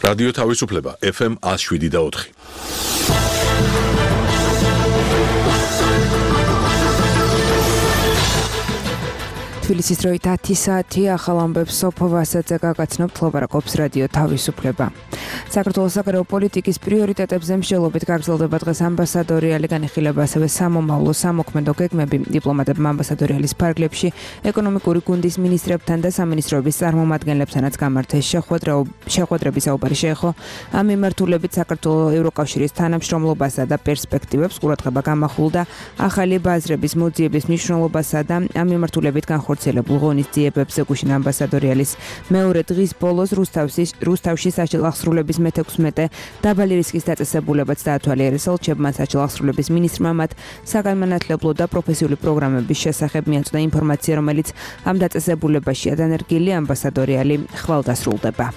რადიო თავისუფლება FM 107.4. თბილისის დროით 10 საათი ახალ ამბებს სოფო ვასაძე გაგაცნობთ ლაპარაკობს რადიო თავისუფლება. საქართველოს საგარეო პოლიტიკის პრიორიტეტებზე მსჯელობით გაგრძელდება დღეს ამბასადორი ალი განიხილება, ასევე სამომავლო სამოქმედო გეგმები დიპლომატებმა ამბასადორიალის ფარგლებში ეკონომიკური გუნდის მინისტრებთან და სამინისტროების წარმომადგენლებთანაც გამართეს შეხვედრების საუბარი შეეხო ამ მიმართულებით საქართველოს ევროკავშირის თანამშრომლობასა და პერსპექტივებს ყურადღება გამახვილდა ახალი ბაზრების მოძიების მნიშვნელობასა და ამ მიმართულებით განხორციელებულ ღონისძიებებზე გუშინ ამბასადორიალის მეორე დღის ბოლოს რუსთავში საჭირო აღსრულების მე-16 დაბალი რისკის დაწესებულებაც დაათვალიერესა ელჩებმა საჭირო აღსრულების მინისტრმა მათ საგანმანათლებლო და პროფესიული პროგრამების შესახებ მიაწვდა ინფორმაცია, რომელიც ამ დაწესებულებაშია დანერგილი ამბასადორიალი ხვალდასრულდება.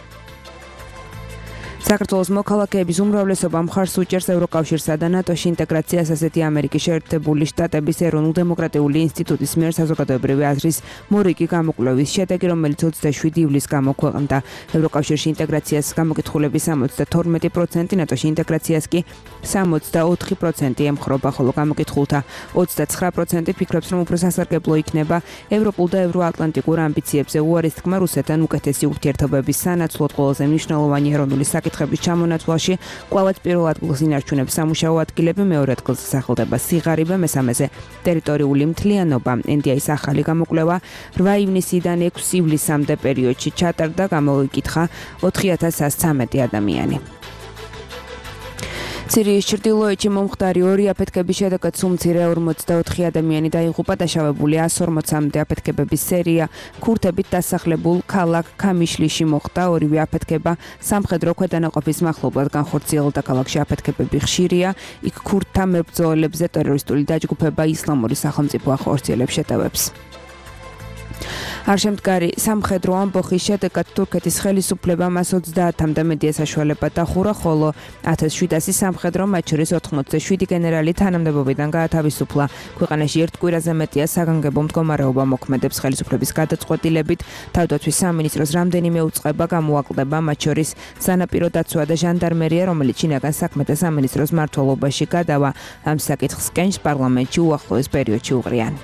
საქართველოს მოქალაქეების უმრავლესობა მხარს უჭერს ევროკავშირსა და ნატოში ინტეგრაციას, ასეთი ამერიკის შეერთებული შტატების ეროვნულ-დემოკრატიული ინსტიტუტის მიერ საზოგადოებრივი აზრის მორიგი გამოკვლევის შედეგი, რომელიც 27 ივლისს გამოქვეყნდა. ევროკავშირში ინტეგრაციას გამოკითხულების 72%, ნატოში ინტეგრაციას კი 64% ემხრობა, ხოლო გამოკითხულთა 29% ფიქრობს, რომ უფრო სასარგებლო იქნება ევროპულ და ევროატლანტიკურ ამბიციებზე უარის თქმა რუსეთთან უკეთესი ურთიერთობების სანაცვლოდ ყველაზე მნიშვნელოვანი ეროვნული საკითხების ჩამონათვალში კვლავაც პირველ ადგილს ინარჩუნებს სამუშაო ადგილები, მეორე ადგილს სახელდება სიღარიბე, მესამეზე ტერიტორიული მთლიანობა. NDI-ის ახალი გამოკვლევა 8 ივნისიდან 6 ივლისამდე პერიოდში ჩატარდა, გამოიკითხა 4113 ადამიანი. სირიის ჩრდილოეთში მომხდარი ორი აფეთქების შედეგად სულ-მცირე 44 ადამიანი დაიღუპა, დაშავებული 140-მდე აფეთქებების სერია ქურთებით დასახლებულ ქალაქ ქამიშლიში მოხდა. ორივე აფეთქება სამხედრო ქვედანაყოფის მახლობლად განხორციელდა. ქალაქში აფეთქებები ხშირია, იქ ქურთთა მებრძოლებზე ტერორისტული დაჯგუფება ისლამური სახელმწიფო ახორციელებს შეტევებს. არშემდგარი სამხედრო ამბოხის შედეგად თურქეთის ხელისუფლებამ 30-მდე მედია საშუალება დახურა, ხოლო 1700 სამხედრო, მათ შორის 87 გენერალი თანამდებობიდან გაათავისუფლა. ქვეყანაში ერთ კვირაზე მეტია საგანგებო მდგომარეობა მოქმედებს. ხელისუფლების გადაწყვეტილებით თავდაცვის სამინისტროს რამდენიმე უწყება გამოაკლდება, მათ შორის სანაპირო დაცვა და ჟანდარმერია, რომელიც შინაგან საქმეთა სამინისტროს მმართველობაში გადავა. ამ საკითხს კენჭს პარლამენტში უახლოეს პერიოდში უყრიან.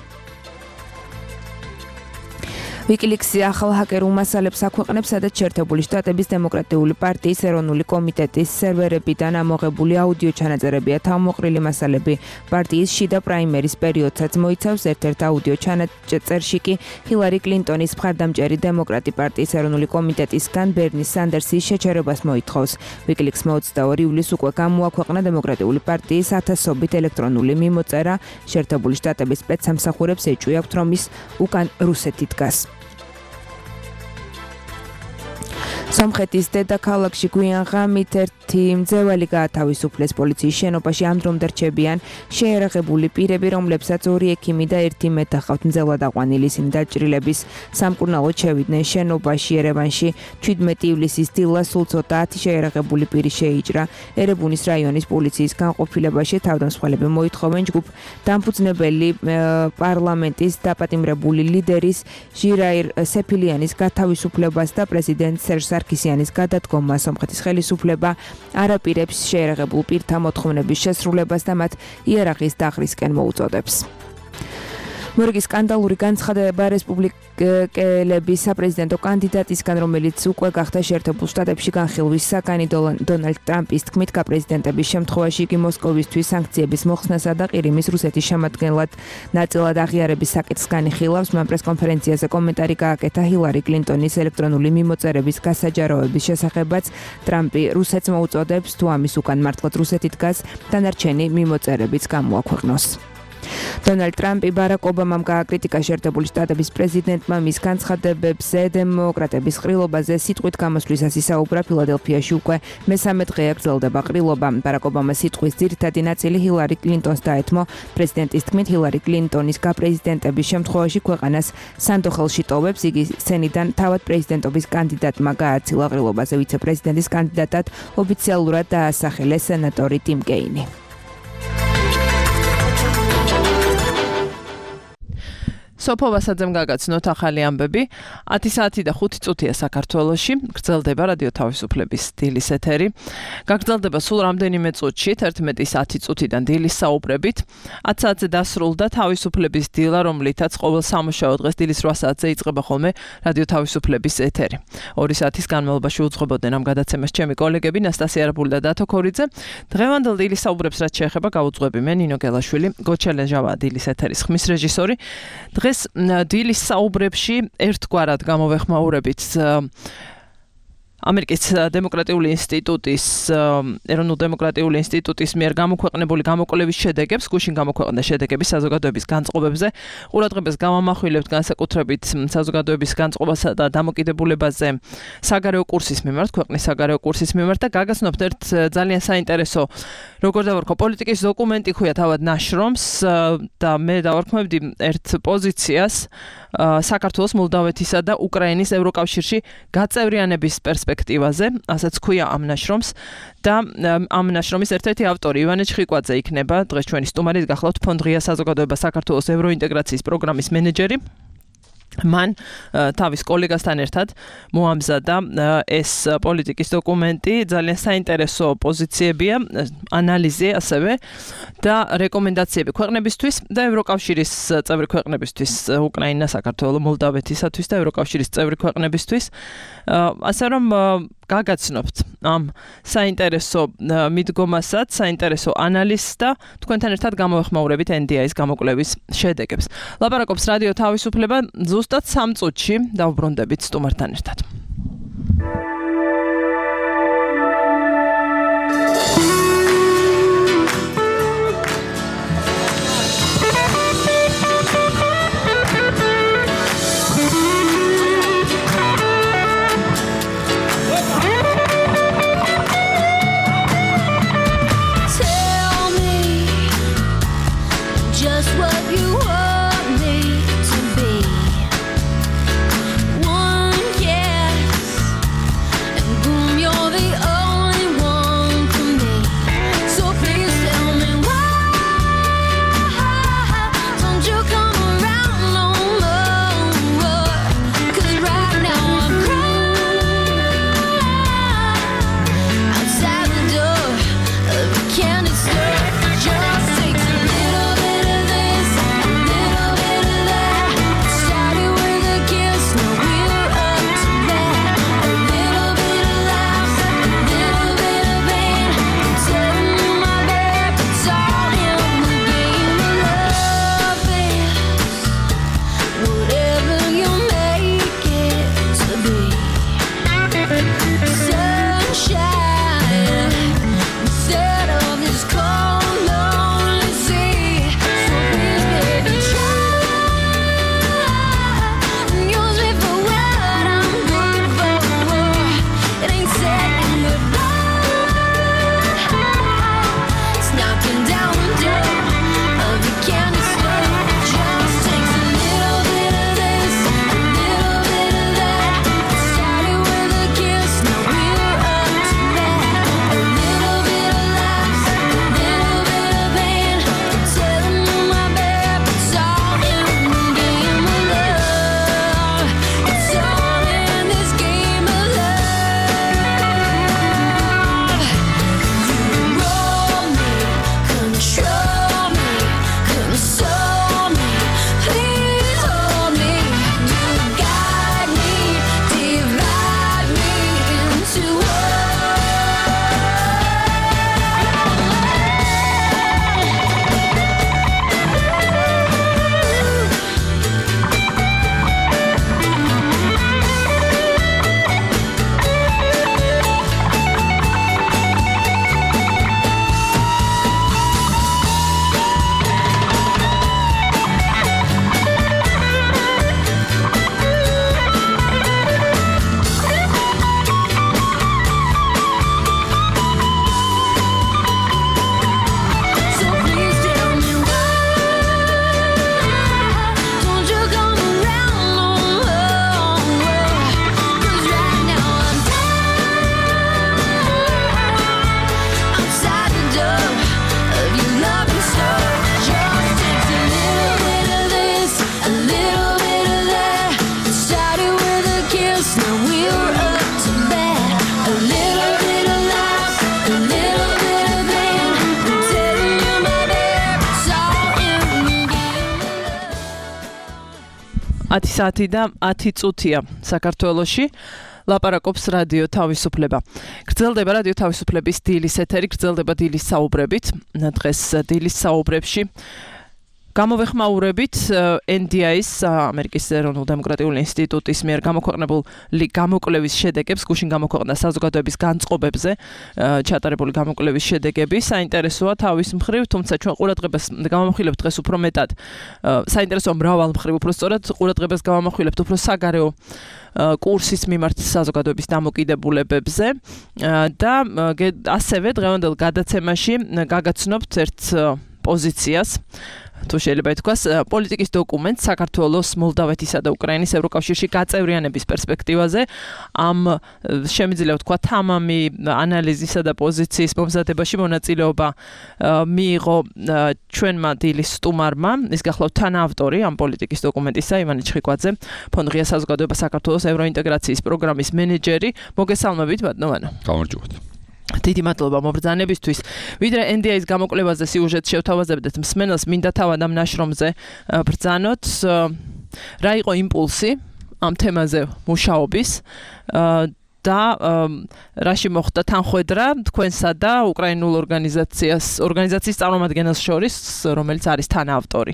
WikiLeaks-ი ახალ ჰაკერულ მასალებს აქვეყნებს, სადაც შეერთებული შტატების დემოკრატიული პარტიის ეროვნული კომიტეტის სერვერებიდან ამოღებული აუდიო ჩანაწერებია თავმოყრილი მასალები. პარტიის შიდა პრაიმერის პერიოდსაც მოიცავს. ერთ-ერთ აუდიო ჩანაწერში კი ჰილარი კლინტონის მხარდამჭერი დემოკრატი პარტიის ეროვნული კომიტეტისგან ბერნი სანდერსის შეჩერებას მოითხოვს. WikiLeaks-მა 22 ივლისს უკვე გამოაქვეყნა დემოკრატიული პარტიის ათასობით ელექტრონული მიმოწერა. შეერთებული შტატების სპეცსამსახურებს ეჭვი აქვთ, რომ ის უკან რუსეთი დგას. სომხეთის დედაქალაქში გვიან ღამით ერთი მძევალი გაათავისუფლეს. პოლიციის შენობაში ამ დრომდე რჩებიან შეერაღებული პირები, რომლებსაც 2 ექიმი და 1 მეტ ახავთ. მძევლად აყვანილი ისინი დაჭრილების სამკურნალოდ შევიდნენ შენობაში. ერევანში 17 ივლისის დილას სულ ცოტა 10 შეერაღებული პირი შეიჭრა. ერებუნის რაიონის პოლიციის განყოფილებაში თავდამსხმელები მოითხოვენ ჯგუფ დამფუძნებელი პარლამენტის დაპატიმრებული ლიდერის ჟირაირ სეფილიანის გათავისუფლებას და პრეზიდენტ სერჟ სარქისიანის გადადგომა. სომხეთის ხელისუფლება არაპირებს შეერაღებულ პირთა მოთხოვნების შესრულებას და მათ იერარქიის დაღრისკენ მოუწოდებს. მორიგი სკანდალური განცხადება რესპუბლიკელების საპრეზიდენტო კანდიდატისგან, რომელიც უკვე გახდა შეერთებულ შტატებში განხილვის საგანი. დონალდ ტრამპის თქმით, გაპრეზიდენტების შემთხვევაში იგი მოსკოვისთვის სანქციების მოხსნასა და ყირიმის რუსეთის შემადგენლად ნაწილად აღიარების საკითხს განიხილავს. მან პრესკონფერენციაზე კომენტარი გააკეთა ჰილარი კლინტონის ელექტრონული მიმოწერების გასაჯაროების შესახებაც. ტრამპი რუსეთს მოუწოდებს, თუ ამის უკან მართლაც რუსეთი დგას, დანარჩენი მიმოწერებიც გამოაქვეყნოს. დონალდ ტრამპი ბარაკ ობამამ გააკრიტიკა შეერთებული შტატების პრეზიდენტმა მის განცხადებებზე დემოკრატების ყრილობაზე სიტყვით გამოსვლისას ისაუბრა. ფილადელფიაში უკვე მე-3 დღეა გრძელდება ყრილობა. ბარაკ ობამას სიტყვის ძირითადი ნაწილი ჰილარი კლინტონს დაეთმო. პრეზიდენტის თქმით, ჰილარი კლინტონის გაპრეზიდენტების შემთხვევაში ქვეყანას სანდოხელში ტოვებს. იგი სცენიდან თავად პრეზიდენტობის კანდიდატმა გააცილა. ყრილობაზე ვიცე-პრეზიდენტის კანდიდატად ოფიციალურად დაასახელეს სენატორი ტიმ კეინი. სოფო ვასაძემ გაგაცნოთ ახალი ამბები. 10 საათი და 5 წუთია საქართველოში. გრძელდება რადიო თავისუფლების დილის ეთერი. გაგრძელდება სულ რამდენიმე წუთში, 11:10 წუთიდან დილის საუბრებით. 10 საათზე დასრულდა თავისუფლების დილა, რომლითაც ყოველ სამუშაო დღეს დილის 8 საათზე იწყება ხოლმე რადიო თავისუფლების ეთერი. 2 საათის განმავლობაში უძღვებოდნენ ამ გადაცემას ჩემი კოლეგები ნასტასია არაბული და დათო ქორიძე. დღევანდელ დილის საუბრებს რაც შეეხება გავუძღვები მე ნინო გელაშვილი, გოჩელეჟავა დილის ეთერის ხმის რეჟისორი. დღეს დილის საუბრებში ერთგვარად გამოვეხმაურებით ამერიკის დემოკრატიული ინსტიტუტის ეროვნულ-დემოკრატიული ინსტიტუტის მიერ გამოქვეყნებული გამოკვლევის შედეგებს, გუშინ გამოქვეყნდა შედეგები საზოგადოების განწყობებზე. ყურადღებას გავამახვილებთ განსაკუთრებით საზოგადოების განწყობასა და დამოკიდებულებაზე საგარეო კურსის მიმართ, ქვეყნის საგარეო კურსის მიმართ და გაგაცნობთ ერთ ძალიან საინტერესო, როგორ დავარქვა, პოლიტიკის დოკუმენტი ქვია თავად ნაშრომს და მე დავარქმევდი ერთ პოზიციას საქართველოს, მოლდავეთისა და უკრაინის ევროკავშირში გაწევრიანების პერსპექტივაზე, ასეც ქვია ამ ნაშრომს და ამ ნაშრომის ერთ-ერთი ავტორი ივანე ჩხიკვაძე იქნება დღეს ჩვენი სტუმარი. გახლავთ ფონდ ღია საზოგადოება საქართველოს ევროინტეგრაციის პროგრამის მენეჯერი. მან თავის კოლეგასთან ერთად მოამზადა ეს პოლიტიკის დოკუმენტი, ძალიან საინტერესო პოზიციებია, ანალიზი ასევე და რეკომენდაციები ქვეყნებისთვის და ევროკავშირის წევრი ქვეყნებისთვის, უკრაინა, საქართველო, მოლდავეთისათვის და ევროკავშირის წევრი ქვეყნებისთვის. ასე რომ გაგაცნობთ ამ საინტერესო მიდგომასაც, საინტერესო ანალიზს და თქვენთან ერთად გამოვეხმაურებით NDI-ის გამოკვლევის შედეგებს. ლაპარაკობს რადიო თავისუფლება ზუსტად 3 წუთში დავუბრუნდებით სტუმართან ერთად. Can it serve? Just takes a little bit of this. 10 საათი და 10 წუთია საქართველოში. ლაპარაკობს რადიო თავისუფლება. გრძელდება რადიო თავისუფლების დილის ეთერი, გრძელდება დილის საუბრებით. დღეს დილის საუბრებში გამოვეხმაურებით NDI-ის ამერიკის ეროვნულ დემოკრატიული ინსტიტუტის მიერ გამოქვეყნებული გამოკვლევის შედეგებს, გუშინ გამოქვეყნდა საზოგადოების განწყობებზე ჩატარებული გამოკვლევის შედეგები. საინტერესოა თავის მხრივ, თუმცა ჩვენ ყურადღებას გამოვახვილებთ დღეს უფრო მეტად. საინტერესოა მრავალ მხრივ, უფრო სწორად ყურადღებას გამოვახვილებთ უფრო საგარეო კურსის მიმართ საზოგადოების დამოკიდებულებებზე და ასევე დღევანდელ გადაცემაში გაგაცნობთ ერთ პოზიციას თუ შეიძლება ითქვას, პოლიტიკის დოკუმენტს საქართველოს, მოლდავეთისა და უკრაინის ევროკავშირში გაწევრიანების პერსპექტივაზე. ამ შემიძლია ვთქვა თამამი ანალიზისა და პოზიციის მომზადებაში მონაწილეობა მიიღო ჩვენმა დილის სტუმარმა, ის გახლავთ თანაავტორი ამ პოლიტიკის დოკუმენტისა, ივანე ჩხიკვაძე, ფონდ ღია საზოგადოება საქართველოს ევროინტეგრაციის პროგრამის მენეჯერი. მოგესალმებით, ბატონო. გამარჯობათ. დიდი მადლობა მობრძანებისთვის. ვიდრე NDI-ის გამოკვლევაზე სიუჟეტს შევთავაზებდეთ მსმენელს, მინდა თავად ამ ნაშრომზე ბრძანოთ. რა იყო იმპულსი ამ თემაზე მუშაობის და რაში მოხდა თანხვედრა თქვენსა და უკრაინულ ორგანიზაციის წარმომადგენელს შორის, რომელიც არის თანაავტორი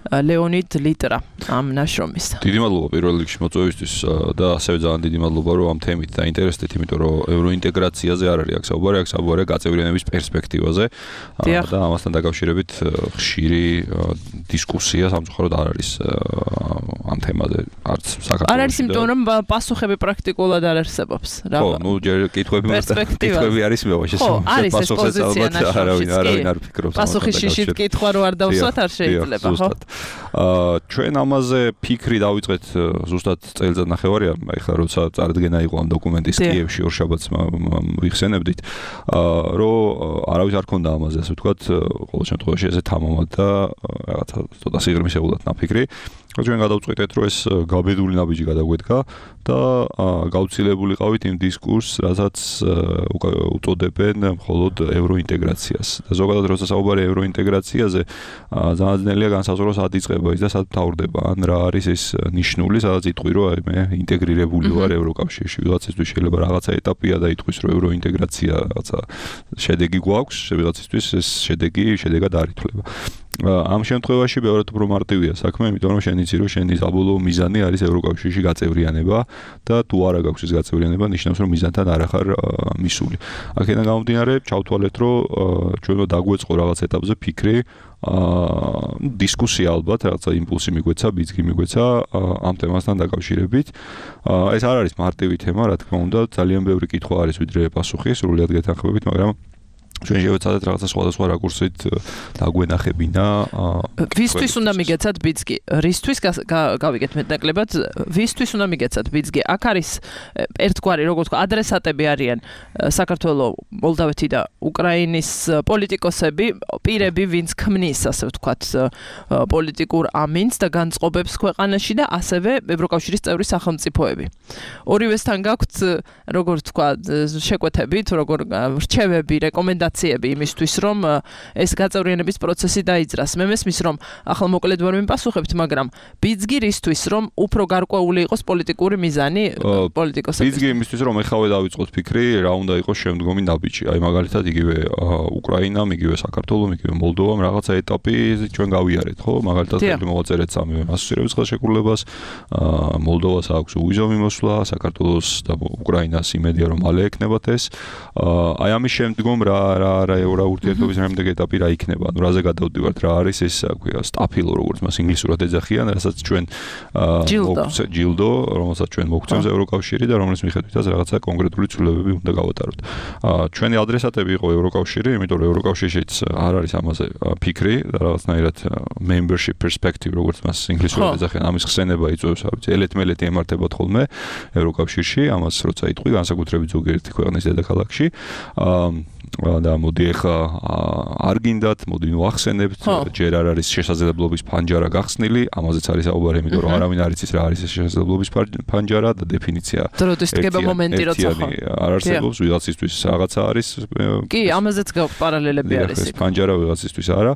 ლეონიდ ლიტრა ამ ნაშრომის. დიდი მადლობა პირველ რიგში მოწვევისთვის და ასევე ძალიან დიდი მადლობა რომ ამ თემით დაინტერესდეთ, იმიტომ რომ ევროინტეგრაციაზე არ არის აქ საუბარი, აქ საუბარია გაწევრიანების პერსპექტივაზე და ამასთან დაკავშირებით ხშირი დისკუსია სამწუხაროდ არ არის ამ თემაზე არც საქართველოში. არ არის იმიტომ რომ პასუხები პრაქტიკულად არ არსებობს, რა. ხო, ნუ ჯერ კითხვები არის მეუბნაში. ხო, არის ეს პოზიცია ნაშრომში. არავინ არ ფიქრობს. პასუხი შიშით კითხვა რო არ დავსვათ არ შეიძლება, ხო? ჩვენ ამაზე ფიქრი დავიწყეთ ზუსტად წელიწად ნახევარია, ეხლა როცა წარდგენა იყო ამ დოკუმენტის კიევში ორშაბათს ვიხსენებდით, რომ არავის არ ქონდა ამაზე, ასე ვთქვათ, ყოველ შემთხვევაში ესე თამამად და რაღაცა ცოტა სიღრმისეულად ნაფიქრი. ჩვენ გადავწყვეტეთ, რომ ეს გაბედული ნაბიჯი გადაგვედგა და გავცილებული ყავით იმ დისკურსს, რასაც უწოდებენ მხოლოდ ევროინტეგრაციას. და ზოგადად როცა საუბარია ევროინტეგრაციაზე, ძალიან ძნელია განსაზღვროს სად იწყება ის და სად მთავრდება. ან რა არის ეს ნიშნული, სადაც იტყვი, რომ აი მე ინტეგრირებული ვარ ევროკავშირში. ვიღაცისთვის შეიძლება რაღაცა ეტაპია და იტყვის, რომ ევროინტეგრაცია რაღაცა შედეგი გვაქვს, ვიღაცისთვის ეს შედეგად არ ითვლება. ამ შემთხვევაში ბევრად უფრო მარტივია საქმე, იმიტომ რომ შენ იცი, რომ შენი საბოლოო მიზანი არის ევროკავშირში გაწევრიანება და თუ არა გაქვს ეს გაწევრიანება, ნიშნავს, რომ მიზანთან არ ახარ მისული. აქედან გამომდინარე, ჩავთვალეთ, რომ ჩვენ უნდა დაგვეწყო რაღაც ეტაპზე ფიქრი, დისკუსია ალბათ, რაღაცა იმპულსი მიგვეცა, ბიძგი მიგვეცა ამ თემასთან დაკავშირებით. ეს არ არის მარტივი თემა, რა თქმა უნდა, ძალიან ბევრი კითხვა არის ვიდრე პასუხი, სრულად გეთანხმებით, მაგრამ ჩვენ შევეცადეთ რაღაცა სხვადასხვა რაკურსით დაგვენახებინა. ვისთვის უნდა მიგეცათ ბიძგი? რისთვის გავიგეთ მეტნაკლებად? ვისთვის უნდა მიგეცათ ბიძგი? აქ არის ერთგვარი, როგორ ვთქვა, ადრესატები არიან საქართველოს, მოლდავეთი და უკრაინის პოლიტიკოსები, პირები, ვინც ქმნის, ასე ვთქვათ, პოლიტიკურ ამინს და განწყობებს ქვეყანაში და ასევე ევროკავშირის წევრი სახელმწიფოები. ორივესთან გაქვთ, როგორ ვთქვა, შეკვეთები, თუ როგორ რჩევები, რეკომენდაციები იმისთვის, რომ ეს გაწევრიანების პროცესი დაიძრას. მე მესმის, რომ ახლა მოკლედ ვერ მიმპასუხებთ, მაგრამ ბიძგი რისთვის, რომ უფრო გარკვეული იყოს პოლიტიკური მიზანი პოლიტიკოსების? ბიძგი იმისთვის, რომ ეხავე დავიწყოთ ფიქრი, რა უნდა იყოს შემდგომი ნაბიჯი. აი მაგალითად იგივე უკრაინამ, იგივე საქართველომ, იგივე მოლდოვამ რაღაცა ეტაპი ჩვენ გავიარეთ, ხო? მაგალითად ხელი მოვაწერეთ სამივე ასოცირების ხელშეკრულებას, მოლდოვას აქვს უვიზო მიმოსვლა, საქართველოს და უკრაინას იმედია, რომ მალე ეკნებათ ეს. აი ამის შემდგომ რა ურთიერთობის რამდენი ეტაპი რა იქნება, ანუ რაზე გადავდივართ, რა არის ეს, აქვია, სტაფილო, როგორც მას ინგლისურად ეძახიან, რასაც ჩვენ ჯილდო, რომელსაც ჩვენ მოგცემს ევროკავშირი და რომლის მიხედვითაც რაღაცა კონკრეტული ცვლილებები უნდა გავატაროთ. ჩვენი ადრესატები იყო ევროკავშირი, იმიტომ რომ ევროკავშირშიც არ არის ამაზე ფიქრი და რაღაცნაირად membership perspective, როგორც მას ინგლისურად ეძახიან, ამის ხსენება იწვევს, ვიცი, ელეთ-მელეთი ემართებათ ხოლმე ევროკავშირში, ამას როცა იტყვი, განსაკუთრებით ზოგიერთი ქვეყნის დედაქალაქში. და მოდი ახლა არ გინდათ, მოდი ვახსენებთ, ჯერ არ არის შესაძლებლობის ფანჯარა გახსნილი, ამაზეც არის საუბარი, იმიტომ რომ არავინ არ იცის რა არის ეს შესაძლებლობის ფანჯარა და დეფინიცია. დროდის დგება მომენტი როცა ხო. არ არსებობს, ვიღაცისთვის რაღაცა არის. კი, ამაზეც გაქვს პარალელები არის. ეს ფანჯარა ვიღაცისთვის არა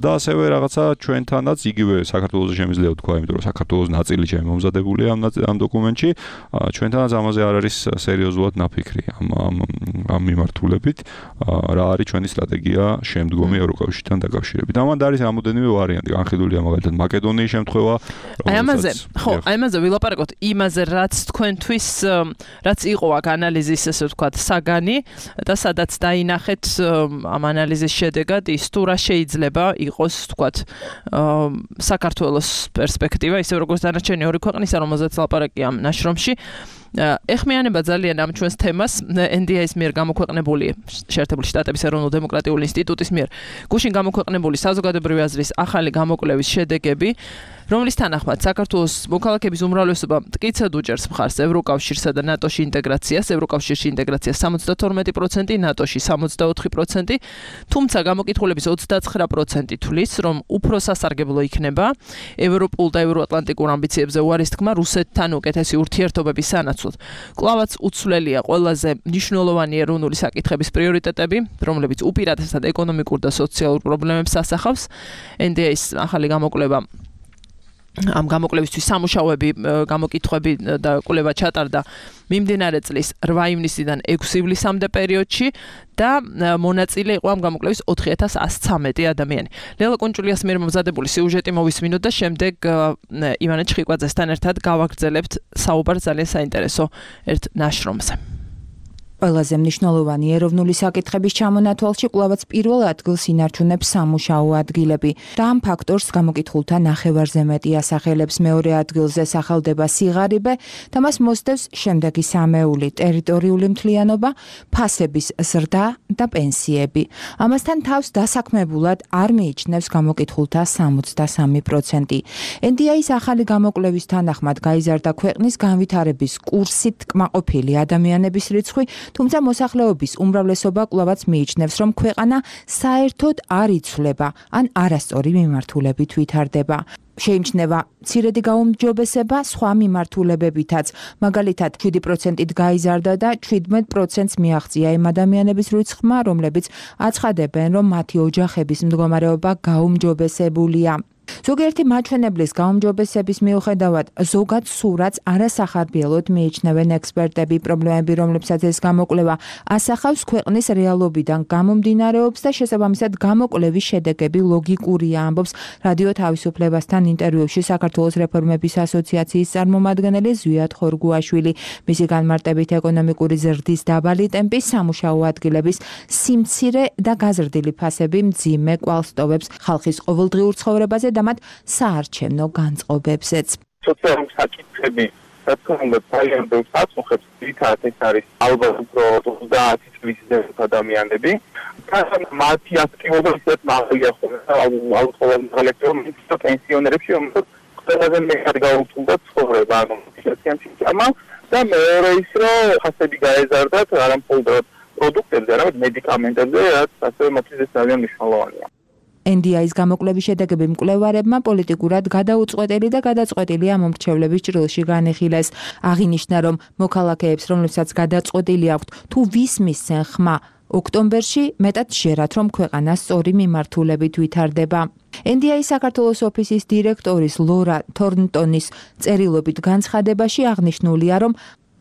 და ასევე რაღაცა ჩვენთანაც იგივე საქართველოს შემიძლია ვთქვა, იმიტომ რომ საქართველოს ნაწილი ჩემი მომზადებულია ამ დოკუმენტში, ჩვენთანაც ამაზე არ არის სერიოზულად ნაფიქრი ამ მიმართულებით, რა არის ჩვენი სტრატეგია შემდგომი ევროკავშირთან დაკავშირებით. ამან არის რამოდენიმე ვარიანტი, განხილულია მაგალითად მაკედონიის შემთხვევა. აი ამაზე ვილაპარაკოთ, იმაზე რაც თქვენთვის რაც იყო აქ ანალიზის ესე ვთქვათ საგანი და სადაც დაინახეთ ამ ანალიზის შედეგად ის თუ რა შეიძლება იყოს ვთქვათ საქართველოს პერსპექტივა, ისე როგორც დანარჩენი ორი ქვეყნისა, რომელზეც ლაპარაკია ამ ნაშრომში. ეხმიანება ძალიან ამ ჩვენს თემას NDI-ის მიერ გამოქვეყნებული შეერთებული შტატების ეროვნულ დემოკრატიული ინსტიტუტის მიერ გუშინ გამოქვეყნებული საზოგადოებრივი აზრის ახალი გამოკვლევის შედეგები, რომლის თანახმად საქართველოს მოქალაქეების უმრავლესობა მტკიცედ უჭერს მხარს ევროკავშირსა და ნატოში ინტეგრაციას, ევროკავშირში ინტეგრაციას 72%, ნატოში 64%, თუმცა გამოკითხულების 29% თვლის, რომ უფრო სასარგებლო იქნება ევროპულ და ევროატლანტიკურ ამბიციებზე უარის თქმა რუსეთთან უკეთესი ურთიერთობების სანაცვლოდ. კვლავაც უცვლელია ყველაზე მნიშვნელოვანი ეროვნული საკითხების პრიორიტეტები, რომლებიც უპირატესად ეკონომიკურ და სოციალურ პრობლემებს ასახავს. NDI-ის ახალი გამოკვლევა ამ გამოკვლევისთვის სამუშაოები, გამოკითხვები და კვლევა ჩატარდა მიმდინარე წლის 8 ივნისიდან 6 ივლისამდე პერიოდში და მონაწილე იყო ამ გამოკვლევის 4113 ადამიანი. ლელა კუნჭულიას მიერ მომზადებული სიუჟეტი მოვისმინოთ და შემდეგ ივანე ჩხიკვაძესთან ერთად გავაგრძელებთ საუბარს ძალიან საინტერესო ერთ ნაშრომზე. ყველაზე მნიშვნელოვანი ეროვნული საკითხების ჩამონათვალში კვლავაც პირველ ადგილს ინარჩუნებს სამუშაო ადგილები და ამ ფაქტორს გამოკითხულთა ნახევარზე მეტი ასახელებს. მეორე ადგილზე სახელდება სიღარიბე და მას მოსდევს შემდეგი სამეული: ტერიტორიული მთლიანობა, ფასების ზრდა და პენსიები. ამასთან თავს დასაქმებულად არ მიიჩნევს გამოკითხულთა 63%. NDI-ის ახალი გამოკვლევის თანახმად გაიზარდა ქვეყნის განვითარების კურსით კმაყოფილი ადამიანების რიცხვი, თუმცა მოსახლეობის უმრავლესობა კვლავაც მიიჩნევს, რომ ქვეყანა საერთოდ არ იცვლება, ან არასწორი მიმართულებით ვითარდება. შეიმჩნევა მცირედი გაუმჯობესება სხვა მიმართულებებითაც, მაგალითად 7%-ით გაიზარდა და 17%-ს მიაღწია იმ ადამიანების რიცხვმა, რომლებიც აცხადებენ, რომ მათი ოჯახების მდგომარეობა გაუმჯობესებულია. ზოგიერთი მაჩვენებლის გაუმჯობესების მიუხედავად ზოგად სურათს არასახარბიელოდ მიიჩნევენ ექსპერტები. პრობლემები, რომლებსაც ეს გამოკვლევა ასახავს, ქვეყნის რეალობიდან გამომდინარეობს და შესაბამისად გამოკვლევის შედეგები ლოგიკურია, ამბობს რადიო თავისუფლებასთან ინტერვიუში საქართველოს რეფორმების ასოციაციის წარმომადგენელი ზვიად ხორგუაშვილი. მისი განმარტებით ეკონომიკური ზრდის დაბალი ტემპი, სამუშაო ადგილების სიმცირე და გაზრდილი ფასები მძიმე კვალს ტოვებს ხალხის ყოველდღიურ ცხოვრებაზე და მათ საარჩევნო განწყობებზეც. სოციალური საკითხები, რა თქმა უნდა, ძალიან ბევრს აწუხებს, თითქოს ეს არის ალბათ უფრო 30 წლის ზემოთ ადამიანები. მათი აქტივობა ისეთ მაღალია ხოლმე, ალბათ პენსიონერებში, რომელსაც ყველაზე მეტად გაუწევდა ცხოვრება, ანუ სიამოვნებაა და მეორე ის, რომ ფასები გაეზარდათ არა მხოლოდ პროდუქტებზე, არამედ მედიკამენტებზე, რაც ასევე მათთვის ძალიან მნიშვნელოვანია. NDI-ის გამოკვლევის შედეგები მკვლევარებმა პოლიტიკურად გადაუწყვეტელი და გადაწყვეტილი ამომრჩევლების ჭრილში განიხილეს. აღინიშნა, რომ მოქალაქეებს, რომლებსაც გადაწყვეტილი აქვთ თუ ვის მისცენ ხმა ოქტომბერში, მეტად ჟერათ, რომ ქვეყანა სწორი მიმართულებით ვითარდება. NDI-ის საქართველოს ოფისის დირექტორის ლორა თორნტონის წერილობით განცხადებაში აღნიშნულია, რომ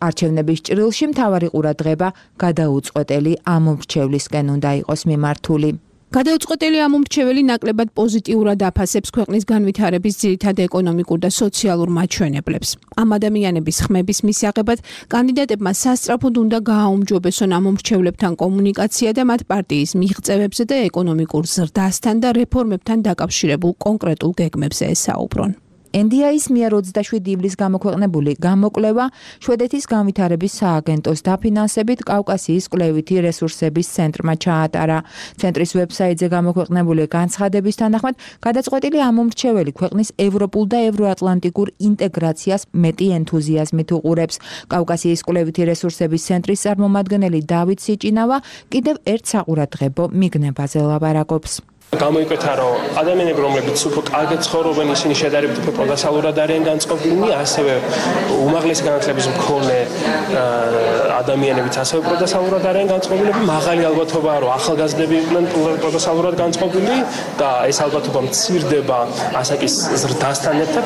არჩევნების ჭრილში მთავარი ყურადღება გადაუწყვეტელი ამომრჩევლისკენ უნდა იყოს მიმართული. გადაუწყვეტელი ამომრჩეველი ნაკლებად პოზიტიურად აფასებს ქვეყნის განვითარების ძირითად ეკონომიკურ და სოციალურ მაჩვენებლებს. ამ ადამიანების ხმების მისაღებად კანდიდატებმა სასწრაფოდ უნდა გააუმჯობესონ ამომრჩევლებთან კომუნიკაცია და მათ პარტიის მიღწევებზე და ეკონომიკურ ზრდასთან და რეფორმებთან დაკავშირებულ კონკრეტულ გეგმებზე ესაუბრონ. NDI-ის მიერ 27 ივლისს გამოქვეყნებული გამოკვლევა შვედეთის განვითარების სააგენტოს დაფინანსებით კავკასიის კვლევითი რესურსების ცენტრმა ჩაატარა. ცენტრის ვებსაიტზე გამოქვეყნებული განცხადების თანახმად, გადაწყვეტილი ამომრჩეველი ქვეყნის ევროპულ და ევროატლანტიკურ ინტეგრაციას მეტი ენთუზიაზმით უყურებს. კავკასიის კვლევითი რესურსების ცენტრის წარმომადგენელი დავით სიჭინავა კიდევ ერთ საყურადღებო მიგნებაზე ლაპარაკობს. გამოიკვეთა, რომ ადამიანები, რომლებიც უფრო კარგად ცხოვრობენ, ისინი შედარებით უფრო პროდუქტიულად არიან განწყობილნი, ასევე უმაღლესი განათლების მქონე ადამიანებიც ასევე პროდუქტიულად არიან განწყობილები. მაღალი ალბათობაა, რომ ახალგაზრდები იყვნენ პროდუქტიულად განწყობილი და ეს ალბათობა მცირდება ასაკის ზრდასთან ერთად.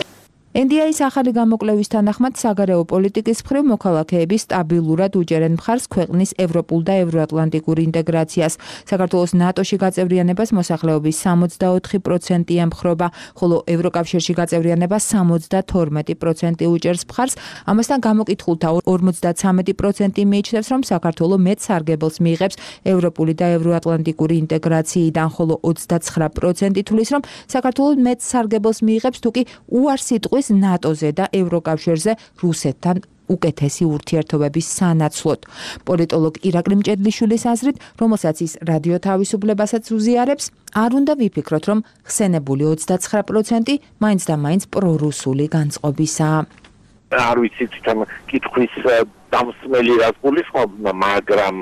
NDI-ის ახალი გამოკვლევის თანახმად საგარეო პოლიტიკის მხრივ მოქალაქეები სტაბილურად უჭერენ მხარს ქვეყნის ევროპულ და ევროატლანტიკურ ინტეგრაციას. საქართველოს ნატოში გაწევრიანებას მოსახლეობის 64% ემხრობა, ხოლო ევროკავშირში გაწევრიანებას 72% უჭერს მხარს. ამასთან გამოკითხულთა 53% მიიჩნევს, რომ საქართველო მეტ სარგებელს მიიღებს ევროპული და ევროატლანტიკური ინტეგრაციიდან, ხოლო 29% თვლის, რომ საქართველო მეტ სარგებელს მიიღებს თუკი უარს იტყვის ნატოზე და ევროკავშირზე რუსეთთან უკეთესი ურთიერთობების სანაცვლოდ. პოლიტოლოგ ირაკლი მჭედლიშვილის აზრით, რომელსაც ის რადიო თავისუფლებასაც უზიარებს, არ უნდა ვიფიქროთ, რომ ხსენებული 29% მაინც და მაინც პრორუსული განწყობისაა. არ ვიცი თვითონ კითხვის დამსმელი რას გულისხმობ, მაგრამ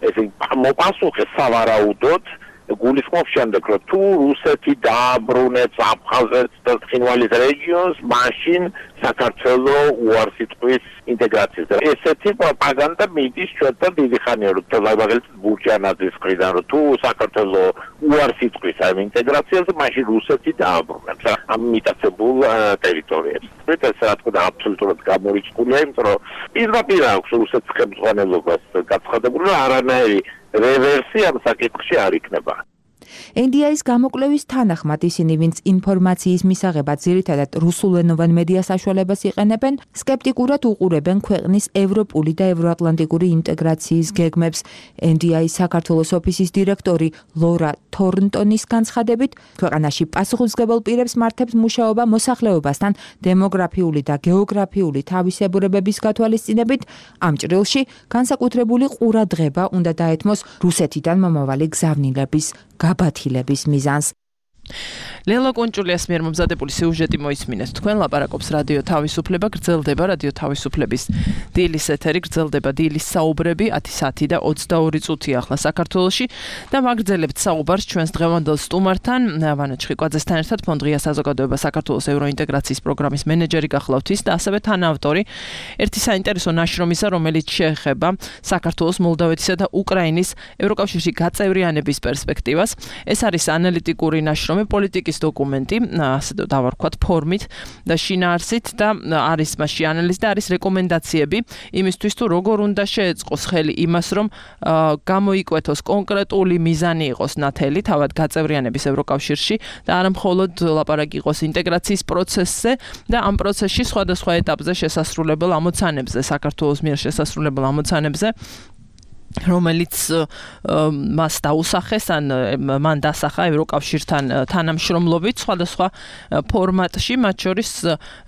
ესე მოპასუხე სავარაუდოდ გულისხმობს შემდეგ, რომ თუ რუსეთი დააბრუნებს აფხაზეთს და ცხინვალის რეგიონს, მაშინ საქართველო უარს იტყვის ინტეგრაციაზე. ესეთი პროპაგანდა მიდის ჩვენთან დიდი ხანია, რომ მაგალითად ბურჯანაძის მხრიდან, რომ თუ საქართველო უარს იტყვის ამ ინტეგრაციაზე, მაშინ რუსეთი დააბრუნებს ამ მიტაცებულ ტერიტორიებს. ეს რა თქმა უნდა აბსოლუტურად გამორიცხულია, იმიტომ რომ პირდაპირ აქვს რუსეთის ხელმძღვანელობას გაცხადებული, რომ არანაირი რევერსი ამ საკითხში არ იქნება. NDI-ის გამოკვლევის თანახმად ისინი, ვინც ინფორმაციის მისაღებად ძირითადად რუსულენოვან მედია საშუალებას იყენებენ, სკეპტიკურად უყურებენ ქვეყნის ევროპული და ევროატლანტიკური ინტეგრაციის გეგმებს. NDI-ის საქართველოს ოფისის დირექტორი ლორა თორნტონის განცხადებით, ქვეყანაში პასუხისმგებელ პირებს მართებს მუშაობა მოსახლეობასთან დემოგრაფიული და გეოგრაფიული თავისებურებების გათვალისწინებით, ამ ჭრილში განსაკუთრებული ყურადღება უნდა დაეთმოს რუსეთიდან მომავალი გზავნილების გაბათილების მიზანს. ლელა კონჭულიას მიერ მომზადებული სიუჟეტი მოისმინეთ. თქვენ ლაპარაკობს რადიო თავისუფლება, გრძელდება რადიო თავისუფლების დილის ეთერი, გრძელდება დილის საუბრები 10 საათი და 22 წუთი ახლა საქართველოში და მაგრძელებთ საუბარს ჩვენს დღევანდელ სტუმართან, ვანო ჩხიკვაძესთან ერთად, ფონდ ღია საზოგადოება საქართველოს ევროინტეგრაციის პროგრამის მენეჯერი გახლავთ ის და ასევე თანაავტორი ერთი საინტერესო ნაშრომისა, რომელიც შეეხება საქართველოს, მოლდავეთისა და უკრაინის ევროკავშირში გაწევრიანების პერსპექტივას. ეს არის ანალიტიკური ნაშრომი, პოლიტიკის დოკუმენტი, ასე დავარქვათ, ფორმით და შინაარსით და არის მასში ანალიზი და არის რეკომენდაციები იმისთვის, თუ როგორ უნდა შეეწყოს ხელი იმას, რომ გამოიკვეთოს კონკრეტული მიზანი იყოს ნათელი თავად გაწევრიანების ევროკავშირში და არა მხოლოდ ლაპარაკი იყოს ინტეგრაციის პროცესზე და ამ პროცესში სხვადასხვა ეტაპზე შესასრულებელ ამოცანებზე, საქართველოს მიერ შესასრულებელ ამოცანებზე, რომელიც მას დაუსახეს ან მან დასახა ევროკავშირთან თანამშრომლობით სხვადასხვა ფორმატში, მათ შორის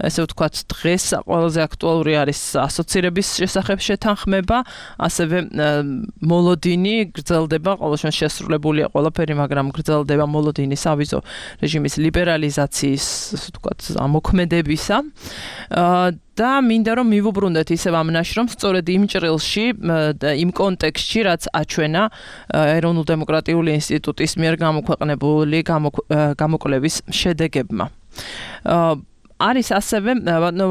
ესე ვთქვათ, დღეს ყველაზე აქტუალური არის ასოცირების შესახებ შეთანხმება, ასევე მოლოდინი გრძელდება, ყოველ შემთხვევაში შესრულებულია ყველაფერი, მაგრამ გრძელდება მოლოდინი სავიზო რეჟიმის ლიბერალიზაციის, ასე ვთქვათ, ამოქმედებისა. და მინდა რომ მივუბრუნდეთ ისევ ამ ნაშრომს სწორედ იმ ჭრილში და იმ კონტექსტში, რაც აჩვენა ეროვნულ-დემოკრატიული ინსტიტუტის მიერ გამოქვეყნებული გამოკვლევის შედეგებმა. არის ასევე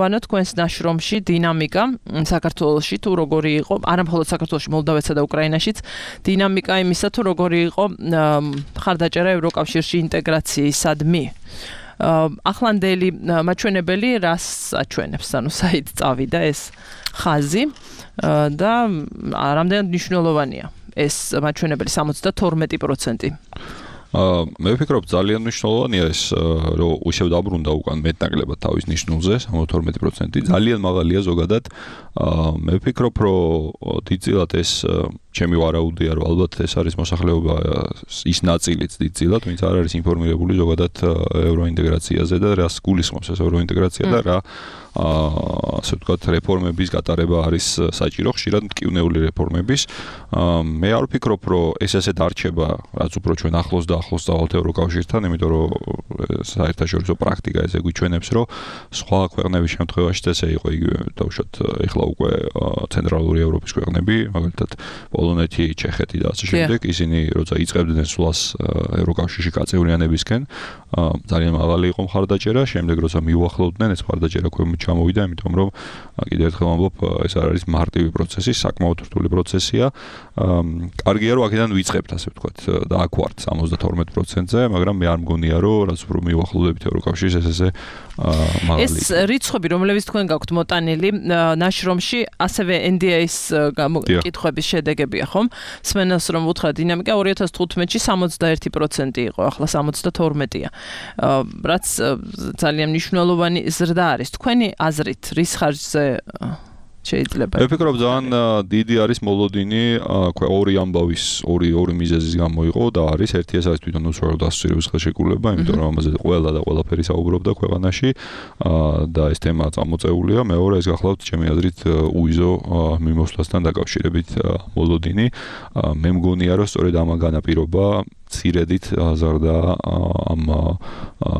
ვანო თქვენს ნაშრომში დინამიკა საქართველოში თუ როგორი იყო, არა მხოლოდ საქართველოში, მოლდავეთსა და უკრაინაშიც, დინამიკა იმისა თუ როგორი იყო მხარდაჭერა ევროკავშირში ინტეგრაციისადმი. ახლანდელი მაჩვენებელი რას აჩვენებს, ანუ საით წავიდა ეს ხაზი და რამდენად მნიშვნელოვანია ეს მაჩვენებელი 72%. მე ვფიქრობ ძალიან მნიშვნელოვანია ეს, რომ უშევ დაბრუნდა უკან მეტნაკლებად თავის ნიშნულზე 72%, ძალიან მაღალია ზოგადად. მე ვფიქრობ, რომ დიდწილად ეს ჩემი ვარაუდია, რომ ალბათ ეს არის მოსახლეობა ის ნაწილიც დიდწილად, ვინც არ არის ინფორმირებული ზოგადად ევროინტეგრაციაზე და რას გულისხმობს ეს ევროინტეგრაცია და რა ასე ვთქვათ რეფორმების გატარება არის საჭირო, ხშირად მტკივნეული რეფორმების. მე არ ვფიქრობ, რომ ეს ესეთ არჩება, რაც უფრო ჩვენ ახლოს და ახლოს დავალთ ევროკავშირთან, იმიტომ რომ საერთაშორისო პრაქტიკა ესე გვიჩვენებს, რომ სხვა ქვეყნების შემთხვევაშიც ესე იყო იგივე, დავუშვათ ეხლა უკვე ცენტრალური ევროპის ქვეყნები, მაგალითად პოლონეთი, ჩეხეთი და ასე შემდეგ, ისინი როცა იწყებდნენ სვლას ევროკავშირში გაწევრიანებისკენ, ძალიან მაღალი იყო მხარდაჭერა, შემდეგ როცა მიუახლოვდნენ, ეს მხარდაჭერა ქვემოთ ჩამოვიდა, იმიტომ რომ კიდევ ერთხელ ვამბობ, ეს არ არის მარტივი პროცესი, საკმაოდ რთული პროცესია. კარგია, რომ აქედან ვიწყებთ, ასე ვთქვათ, და აქ ვართ 72%-ზე, მაგრამ მე არ მგონია, რომ რაც უფრო მიუახლოვდებით ევროკავშირს, ესე მაღალი. ეს რიცხვები, რომლებიც თქვენ გაქვთ მოტანილი ნაშრომში, ასევე NDA-ის კითხვების შედეგებია, ხომ? სმენელს რომ უთხრა დინამიკა 2015-ში 61% იყო, ახლა 72-ია. რაც ძალიან მნიშვნელოვანი ზრდა არის. თქვენი აზრით, რის ხარჯზე შეიძლება? მე ვფიქრობ, ძალიან დიდი არის მოლოდინი, ორი ამბავის, ორი მიზეზის გამო იყო და არის ერთი ეს არის თვითონ უცხოურ დასწრების ხელშეკრულება, იმიტომ რომ ამაზე ყველა და ყველაფერი საუბრობდა ქვეყანაში და ეს თემა წამოწეულია. მეორე ეს გახლავთ ჩემი აზრით უიზო მიმოსვლასთან დაკავშირებით მოლოდინი. მე მგონია, რომ სწორედ ამან განაპირობა ცირედით აზარდა ამ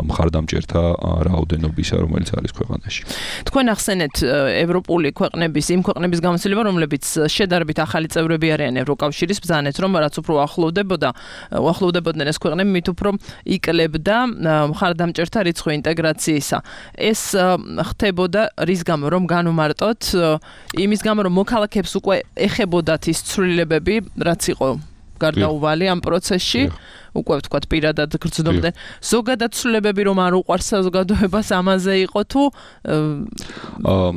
მხარდამჭერთა რაოდენობისა, რომელიც არის ქვეყანაში. თქვენ ახსენეთ ევროპული ქვეყნების, იმ ქვეყნების გამოცდილება, რომლებიც შედარებით ახალი წევრები არიან ევროკავშირის, ბრძანეთ, რომ რაც უფრო უახლოვდებოდნენ ეს ქვეყნები, მით უფრო იკლებდა მხარდამჭერთა რიცხვი ინტეგრაციისა. ეს ხდებოდა რის გამო, რომ განუმარტოთ, იმის გამო, რომ მოქალაქეებს უკვე ეხებოდათ ის ცვლილებები, რაც იყო გარდაუვალი ამ პროცესში, უკვე ვთქვათ პირადად გრძნობდნენ. ზოგადად ცვლილებები რომ არ უყვარს საზოგადოებას ამაზე იყო თუ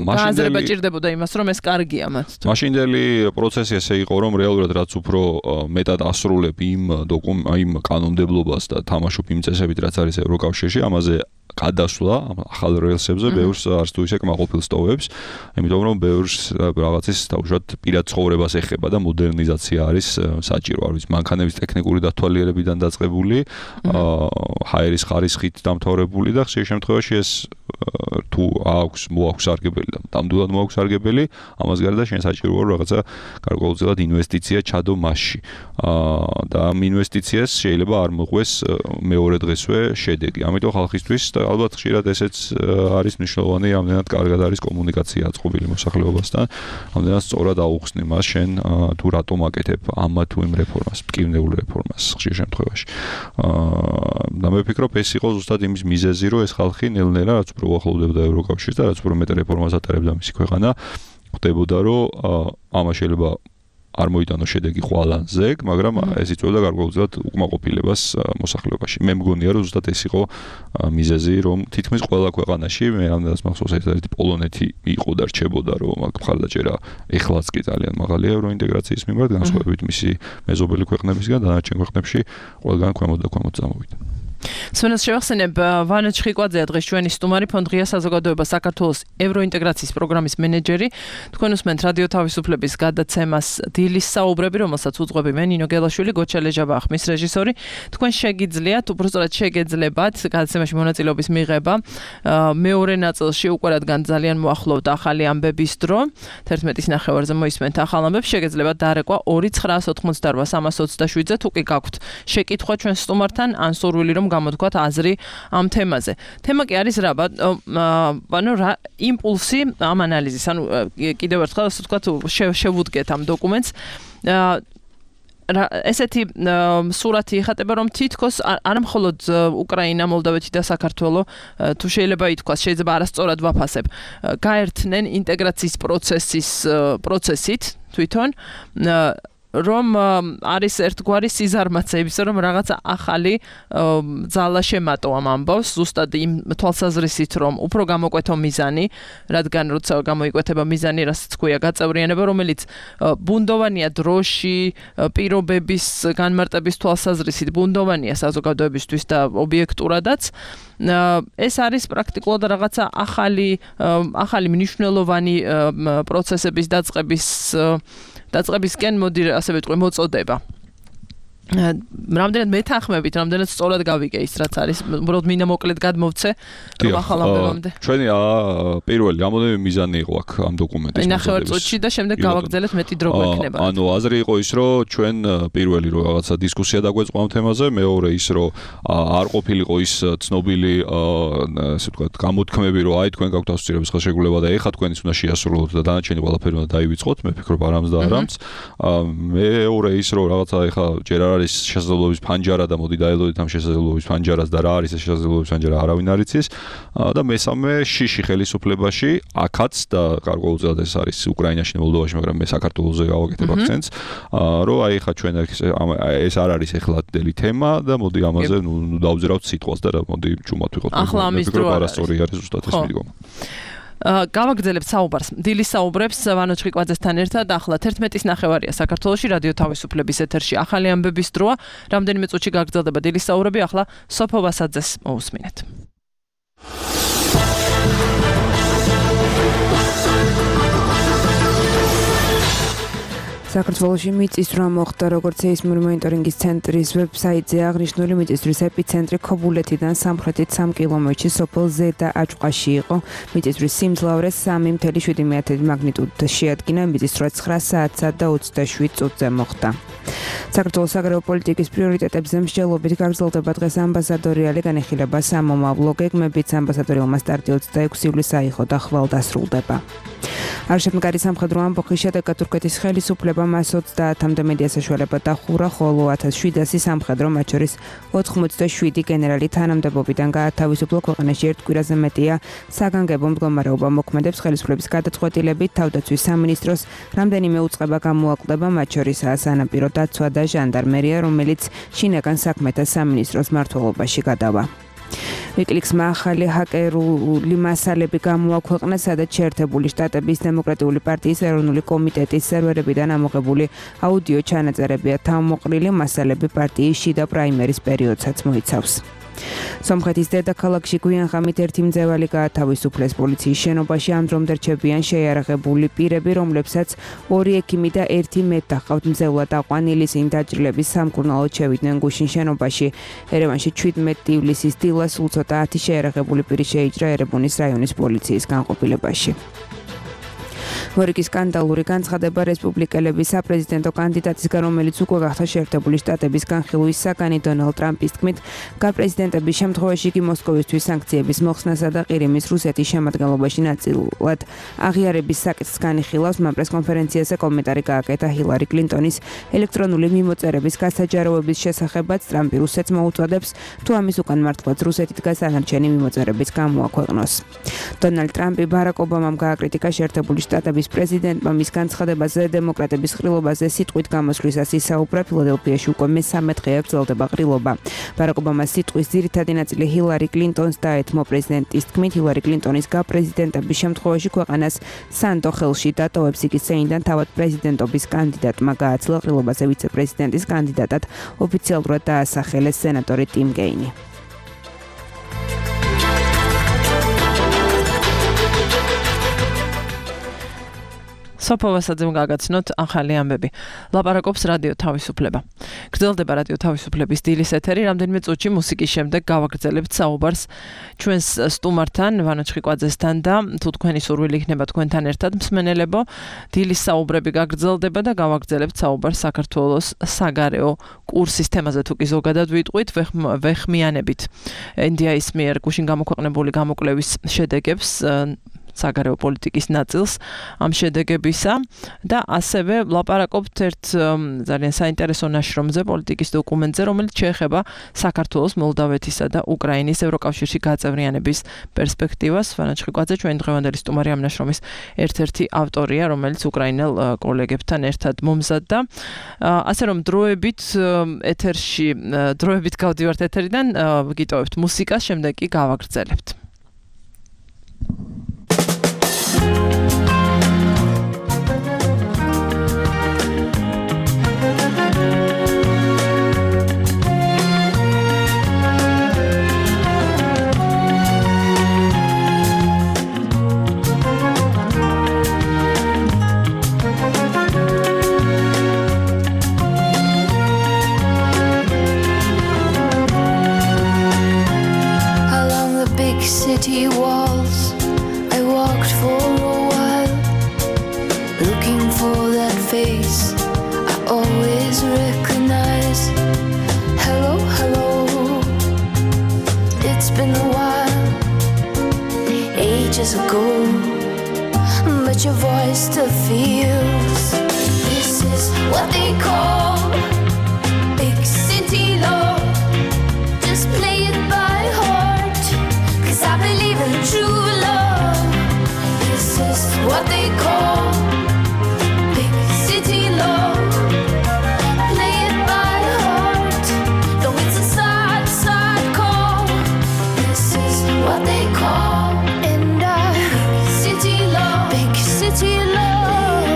აზრება ჭირდებოდა იმას, რომ ეს კარგია მათ. მაშინდელი პროცესი ესე იყო, რომ რეალურად რაც უფრო მეტად ასრულებ იმ კანონმდებლობას და თამაშობ იმ წესებით, რაც არის ევროკავშირში, ამაზე გადასვლა ახალ რელსებზე ბევრს არც თუ ისე კმაყოფილს ტოვებს, იმიტომ რომ ბევრს რაღაცის დაუშვათ პირად ცხოვრებას ეხება და მოდერნიზაცია არის საჭირო. არ ვიცი, მანქანების ტექნიკური დათვალიერებიდან დაწყებული, ჰაერის ხარისხით დამთავრებული და ხშირ შემთხვევაში ეს თუ მოაქვს სარგებელი და ნამდვილად მოაქვს სარგებელი, ამას გარდა შენ საჭიროა რაღაცა გარკვეულწილად ინვესტიცია ჩადო მასში. და ამ ინვესტიციას შეიძლება არ მოყვეს მეორე დღესვე შედეგი. ამიტომ ხალხისთვის ალბათ ხშირად ესეც არის მნიშვნელოვანი, ამდენად კარგად არის კომუნიკაცია აწყობილი მოსახლეობასთან, ამდენად სწორად აუხსნი მას შენ თუ რატომ აკეთებ ამ თუ იმ რეფორმას, მტკივნეულ რეფორმას ხშირ შემთხვევაში. და მე ვფიქრობ, ეს იყო ზუსტად იმის მიზეზი, რომ ეს ხალხი ნელ-ნელა რაც უფრო უახლოვდებოდა ევროკავშირს და რაც უფრო მეტ რეფორმას ატარებდა მისი ქვეყანა, ხვდებოდა, რომ ამას შეიძლება არ მოიტანო შედეგი ყველან ზეგ, მაგრამ ეს იწვევდა გარკვეულწილად უკმაყოფილებას მოსახლეობაში. მე მგონია, რომ ზუსტად ეს იყო მიზეზი, რომ თითქმის ყველა ქვეყანაში, მე ამდენად მახსოვს ერთ-ერთი პოლონეთი იყო და რჩებოდა, რომ აქ მხარდაჭერა ეხლაც კი ძალიან მაღალია ევროინტეგრაციის მიმართ, განსხვავებით მისი მეზობელი ქვეყნებისგან, დანარჩენ ქვეყნებში ყველგან ქვემოთ და ქვემოთ წამოვიდა. სვენელს შევახსენებ, ვანა ჩხიკვაძეა დღეს ჩვენი სტუმარი, ფონდ ღია საზოგადოება საქართველოს ევროინტეგრაციის პროგრამის მენეჯერი. თქვენ უსმენთ რადიო თავისუფლების გადაცემას დილის საუბრები, რომელსაც უძღვები მე ნინო გელაშვილი, გოჩა ლეჟაბა ხმის რეჟისორი. თქვენ შეგიძლიათ, უბრალოდ შეგეძლებათ გადაცემაში მონაწილეობის მიღება. მეორე ნაწილში უკვე რადგან ძალიან მოახლოვთ ახალი ამბების დრო, 11-ის ნახევარზე მოისმენთ ახალ ამბებს, შეგეძლებათ დარეკვა 2988327-ზე, თუ კი გაქვთ შეკითხვა ჩვენ სტუმართან, ან სურვილი რომ გამოთქვათ აზრი ამ თემაზე. თემა კი არის რა, რა იმპულსი ამ ანალიზის, ანუ კიდევ ერთხელ ასე ვთქვათ, შევუდგეთ ამ დოკუმენტს. ესეთი სურათი იხატება, რომ თითქოს არ მხოლოდ უკრაინა, მოლდოვეთი და საქართველო, თუ შეიძლება ითქვას, შეიძლება არასწორად ვაფასებ, გაერთნენ ინტეგრაციის პროცესით თვითონ, რომ არის ერთგვარი სიზარმაცე იმის, რომ რაღაცა ახალი ძალა შემატო ამ ამბავს, ზუსტად იმ თვალსაზრისით, რომ უფრო გამოკვეთო მიზანი, რადგან როცა გამოიკვეთება მიზანი, რასაც ქვია გაწევრიანება, რომელიც ბუნდოვანია დროში, პირობების განმარტების თვალსაზრისით, ბუნდოვანია საზოგადოებისთვის და ობიექტურადაც. ეს არის პრაქტიკულად რაღაცა ახალი მნიშვნელოვანი პროცესების დაწყების დაწყებისკენ მოდი ასე ვიტყვი მოწოდება. რამდენად მეთანხმებით, რამდენად სწორად გავიგე ის რაც არის, უბრალოდ მინდა მოკლედ გადმოვცე რომ ახალ ამბებამდე. ჩვენი პირველი რამოდენიმე მიზანი იყო აქ ამ დოკუმენტის მოწოდების. ნახევარ წუთში და შემდეგ გავაგრძელეთ მეტი დრო გვექნება. ანუ აზრი იყო ის, რომ ჩვენ პირველი რომ რაღაცა დისკუსია დაგვეწყო ამ თემაზე, მეორე ის რომ არ ყოფილიყო ის ცნობილი ასე ვთქვათ გამოთქმები, რომ აი თქვენ გაქვთ ასოცირების ხელშეკრულება და ეხლა თქვენ ის უნდა შეასრულოთ და დანარჩენი ყველაფერი უნდა დაივიწყოთ, მე ვფიქრობ არამს და არამს. მეორე ის რომ რაღაცა ეხლა ჯერ არის შესაძლებლობის ფანჯარა და მოდი დაელოდეთ ამ შესაძლებლობის ფანჯარას და რა არის ეს შესაძლებლობის ფანჯარა არავინ არ იცის და მესამე შიში ხელისუფლებაში აქაც და გარკვეულწილად ეს არის უკრაინაში და მოლდოვაში მაგრამ მე საქართველოზე გავაკეთებ აქცენტს რომ აი ხა ჩვენ ეს არ არის ეხლადელი თემა და მოდი ამაზე ნუ დავძრავთ სიტყვას და მოდი ჩუმად ვიყოთ ახლა ამის დრო არასწორი არის ზუსტად ეს მიდგომა გავაგრძელებთ საუბარს დილის საუბრებს ვანო ჩხიკვაძესთან ერთად ახლა 11-ის ნახევარია საქართველოში რადიო თავისუფლების ეთერში ახალი ამბების დროა რამდენიმე წუთში გაგრძელდება დილის საუბრები ახლა სოფო ვასაძეს მოусმინეთ საქართველოში მიწისძვრა მოხდა, როგორც სეისმური მონიტორინგის ცენტრის ვებსაიტზე აღნიშნული მიწისძვრის ეპიცენტრი ქობულეთიდან სამხრეთით 3 კილომეტრში სოფელ ზედა აჭყვაში იყო. მიწისძვრის სიმძლავრე 3.7 მაგნიტუდით შეადგინა, მიწისძვრა 9 საათსა და 27 წუთზე მოხდა. საქართველოს საგარეო პოლიტიკის პრიორიტეტებზე მსჯელობით გაგრძელდება დღეს ამბასადორი ალე განიხილება სამომავლო გეგმებით ამბასადორილმა სტარტი 26 ივლისს აიღო და ხვალ დასრულდება. არშემდგარი სამხედრო ამბოხის შედეგად თურქეთის ხელისუფლებამ 30-მდე მედია საშუალება დახურა, ხოლო 1700 სამხედრო, მათ შორის 87 გენერალი თანამდებობიდან გაათავისუფლა. ქვეყანაში ერთ კვირაზე მეტია საგანგებო მდგომარეობა მოქმედებს. ხელისუფლების გადაწყვეტილებით თავდაცვის სამინისტროს რამდენიმე უწყება გამოაკლდება, მათ შორისაა სანაპირო დაცვა და ჟანდარმერია, რომელიც შინაგან საქმეთა სამინისტროს მმართველობაში გადავა. ვიკილიკსმა ახალი ჰაკერული მასალები გამოაქვეყნა, სადაც შეერთებული შტატების დემოკრატიული პარტიის ეროვნული კომიტეტის სერვერებიდან ამოღებული აუდიო ჩანაწერებია თავმოყრილი. მასალები პარტიის შიდა პრაიმერის პერიოდსაც მოიცავს. სომხეთის დედაქალაქში გვიანღამით ერთი მძევალი გაათავისუფლეს. პოლიციის შენობაში ამ დრომდე რჩებიან შეიარაღებული პირები, რომლებსაც 2 ექიმი და 1 მეტ ჰყავთ. მძევლად აყვანილი ისინი დაჭრილების სამკურნალოდ შევიდნენ გუშინ შენობაში. ერევანში 17 ივლისის დილა სულ ცოტა 10 შეიარაღებული პირი შეიჭრა ერებუნის რაიონის პოლიციის განყოფილებაში. მორიგის სკანდალური განცხადება რესპუბლიკელების საპრეზიდენტო კანდიდატისგან, რომელიც უკვე გახდა შეერთებული შტატების განხილვის საგანი დონალდ ტრამპის თქმით, გაპრეზიდენტების შემთხვევაში იგი მოსკოვისთვის სანქციების მოხსნასა და ყირიმის რუსეთის შემადგენლობაში ნაწილად აღიარების საკითხს განიხილავს. მან პრესკონფერენციაზე კომენტარი გააკეთა ჰილარი კლინტონის ელექტრონული მიმოწერების გასაჯაროების შესახებაც. ტრამპი რუსეთს მოუწოდებს, თუ ამის უკან მართლაც რუსეთით გასანარჩენი მიმოწერების გამოაქვეყნოს. დონალდ ტრამპი ბარაკ ობამამ გააკრიტიკა შეერთებული შტატების პრეზიდენტმა მის განცხადებაზე დემოკრატების ყრილობაზე სიტყვით გამოსვლისას ისაუბრა. ფილადელფიაში უკვე მე-13 დღეა გრძელდება ყრილობა. ბარაკ ობამას სიტყვის ძირითადი ნაწილი ჰილარი კლინტონს დაეთმო. პრეზიდენტის თქმით, ჰილარი კლინტონის გაპრეზიდენტების შემთხვევაში ქვეყანას სანდო ხელში დატოვებს. იგი სეინდან თავად პრეზიდენტობის კანდიდატმა გააცლა. ყრილობაზე ვიცე-პრეზიდენტის კანდიდატად ოფიციალურად დაასახელეს სენატორი ტიმ გეინი. სოფო ვასაძემ გაგაცნოთ ახალი ამბები. ლაპარაკობს რადიო თავისუფლება. გრძელდება რადიო თავისუფლების დილის ეთერი. რამდენიმე წუთში მუსიკის შემდეგ გავაგრძელებთ საუბარს ჩვენს სტუმართან, ვანო ჩხიკვაძესთან და თუ თქვენი სურვილი იქნება თქვენთან ერთად მსმენელებო, დილის საუბრები გაგრძელდება და გავაგრძელებთ საუბარს საქართველოს საგარეო კურსის თემაზე. თუ კი ზოგადად ვიტყვით, ვეხმიანებით NDI-ის მიერ გუშინ გამოქვეყნებული გამოკვლევის შედეგებს საგარეო პოლიტიკის ნაწილს ამ შედეგებისა და ასევე ლაპარაკობთ ერთ ძალიან საინტერესო ნაშრომზე, პოლიტიკის დოკუმენტზე, რომელიც შეეხება საქართველოს, მოლდავეთისა და უკრაინის ევროკავშირში გაწევრიანების პერსპექტივას. ვანო ჩხიკვაძე ჩვენი დღევანდელი სტუმარი ამ ნაშრომის ერთ-ერთი ავტორია, რომელიც უკრაინელ კოლეგებთან ერთად მომზადდა. ასე რომ დროებით გავდივართ ეთერიდან, გიტოვებთ მუსიკას, შემდეგ კი გავაგრძელებთ. go, but your voice still feels. This is what they call big city love. Just play it by heart, 'cause I believe in true love. This is what they call big city love. Play it by heart, though it's a sad, sad call. This is what they call big city love, big city love.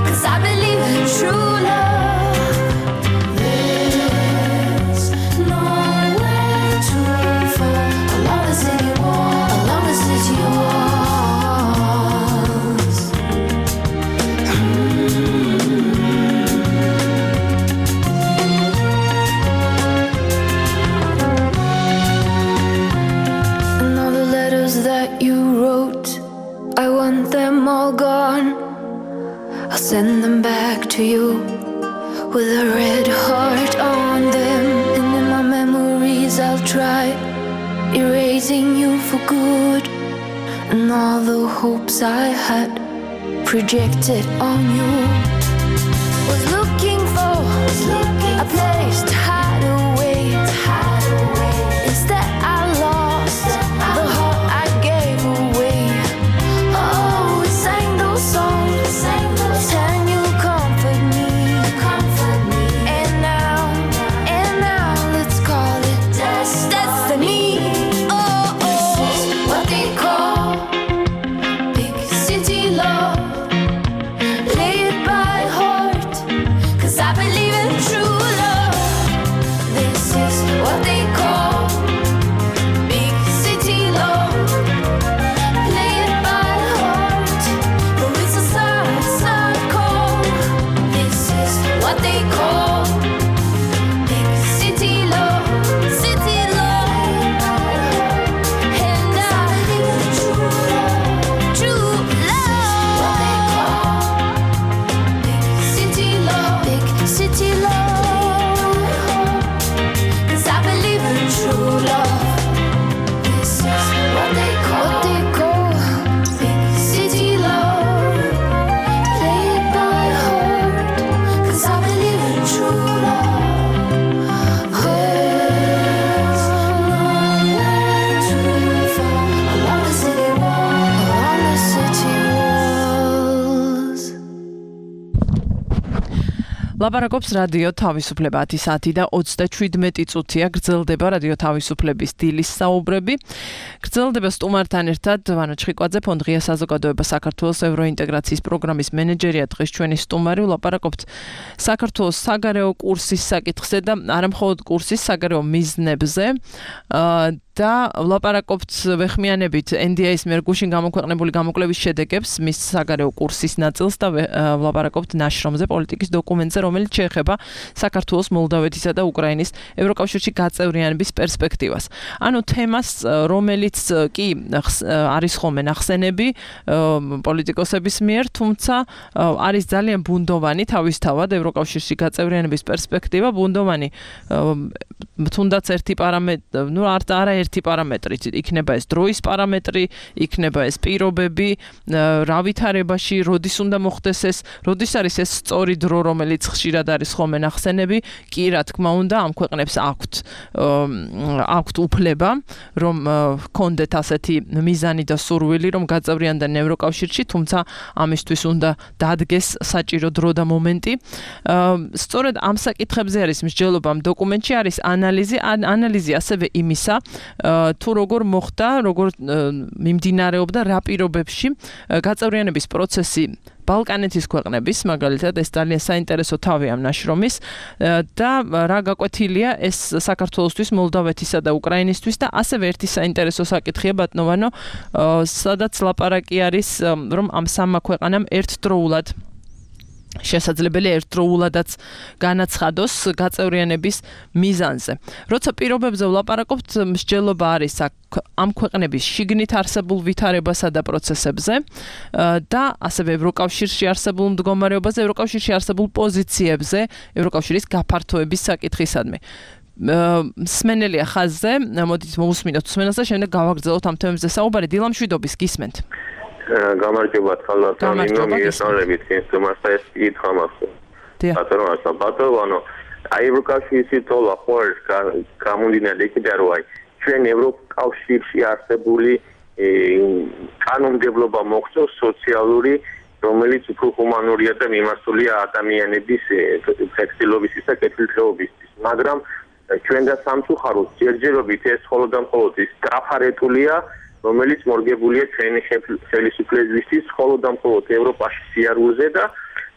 'Cause I believe in true love. There's nowhere to fall along the city wall, along the city walls. And all the letters that you wrote, I want them all gone. I'll send them back to you with a red heart on them. And in my memories I'll try erasing you for good. And all the hopes I had projected on you. Was looking for a place to hide away. Instead I lost the heart I gave away. Oh, we sang those songs, and you comfort me. And now let's call it destiny. Oh, this is what they call big city love. Play it by heart, 'cause I believe in true love. This is what they call big city love. Play it by heart, though it's a sad, sad call. This is what they call big city love, city love. And I believe in true love, true love. What they call big city love, big city love. 'Cause I believe in true love. This is what they call big city love. Play it by heart, 'cause I believe in true love. There's nowhere to fall along the city wall, along the city walls. ლაპარაკობს რადიო თავისუფლება 10 საათი და 37 წუთია გრძელდება რადიო თავისუფლების დილის საუბრები. გრძელდება სტუმართან ერთად ვანო ჩხიკვაძე, ფონდ ღია საზოგადოება საქართველოს ევროინტეგრაციის პროგრამის მენეჯერია, დღეს ჩვენი სტუმარი. ლაპარაკობთ საქართველოს საგარეო კურსის საკითხზე და არა მხოლოდ კურსის საგარეო მიზნებზე. და ლაპარაკობთ ვეხმიანებით NDI-ის მიერ გუშინ გამოქვეყნებული გამოკვლევის შედეგებს, მის საგარეო კურსის ნაწილს და ლაპარაკობთ ნაშრომზე, პოლიტიკის დოკუმენტზე, რომელიც შეეხება საქართველოს, მოლდავეთისა და უკრაინის ევროკავშირში გაწევრიანების პერსპექტივას. ანუ თემას, რომელიც კი არის ხოლმე ნახსენები პოლიტიკოსების მიერ, თუმცა არის ძალიან ბუნდოვანი თავისთავად ევროკავშირში გაწევრიანების პერსპექტივა, ბუნდოვანი თუნდაც ერთი პარამეტრი, არა ერთი პარამეტრი, იქნება ეს დროის პარამეტრი, იქნება ეს პირობები, რა ვითარებაში, როდის უნდა მოხდეს ეს, როდის არის ეს სწორი დრო, რომელიც ხშირად არის ხოლმე ნახსენები, კი რა თქმა უნდა ამ ქვეყნებს აქვთ უფლება, რომ ჰქონდეთ ასეთი მიზანი და სურვილი, რომ გაწევრიანდნენ ევროკავშირში, თუმცა ამისთვის უნდა დადგეს საჭირო დრო და მომენტი. სწორედ ამ საკითხებზე არის მსჯელობა ამ დოკუმენტში, არის ანალიზი ასევე იმისა, თუ როგორ მოხდა, როგორ მიმდინარეობდა რა პირობებში გაწევრიანების პროცესი ბალკანეთის ქვეყნების, მაგალითად, ეს ძალიან საინტერესო თავი ამ ნაშრომის და რა გაკვეთილია ეს საქართველოსთვის, მოლდავეთისა და უკრაინისთვის და ასევე ერთი საინტერესო საკითხია ბატონო, სადაც ლაპარაკი არის, რომ ამ სამმა ქვეყანამ ერთდროულად შესაძლებელია ერთდროულადაც განაცხადოს გაწევრიანების მიზანზე. როცა პირობებზე ვლაპარაკობთ, მსჯელობა არის ამ ქვეყნების შიგნით არსებულ ვითარებასა და პროცესებზე და ასევე ევროკავშირში არსებულ მდგომარეობაზე, ევროკავშირში არსებულ პოზიციებზე, ევროკავშირის გაფართოების საკითხისადმი. სმენელია ხაზზე, მოდით მოусმინოთ სმენელს და შემდეგ გავაგრძელოთ ამ თემებზე საუბარი. დილა მშვიდობის გისმენთ. გამარჯობა თვალსაჩინო მიესალმებით ინსტრუმენტს და ეს კითხვა მაქვს. ბატონო, აი ევროკავშირის თოლა ხوارს გამომდინარე იქიდან რომ აი ჩვენ ევროკავშირში არსებული კანონმდებლობა მოხდოს სოციალური, რომელიც უფრო ჰუმანურია და მიმართულია ადამიანების ფლექსიბილობისთვის და კეთილდღეობისთვის, მაგრამ ჩვენ და სამწუხაროდ ჯერჯერობით ეს მხოლოდ და მხოლოდ ის გაფარეტულია, რომელიც მორგებულია ჩვენი ხელისუფლებისთვის მხოლოდ და მხოლოდ ევროპაში სიარულზე და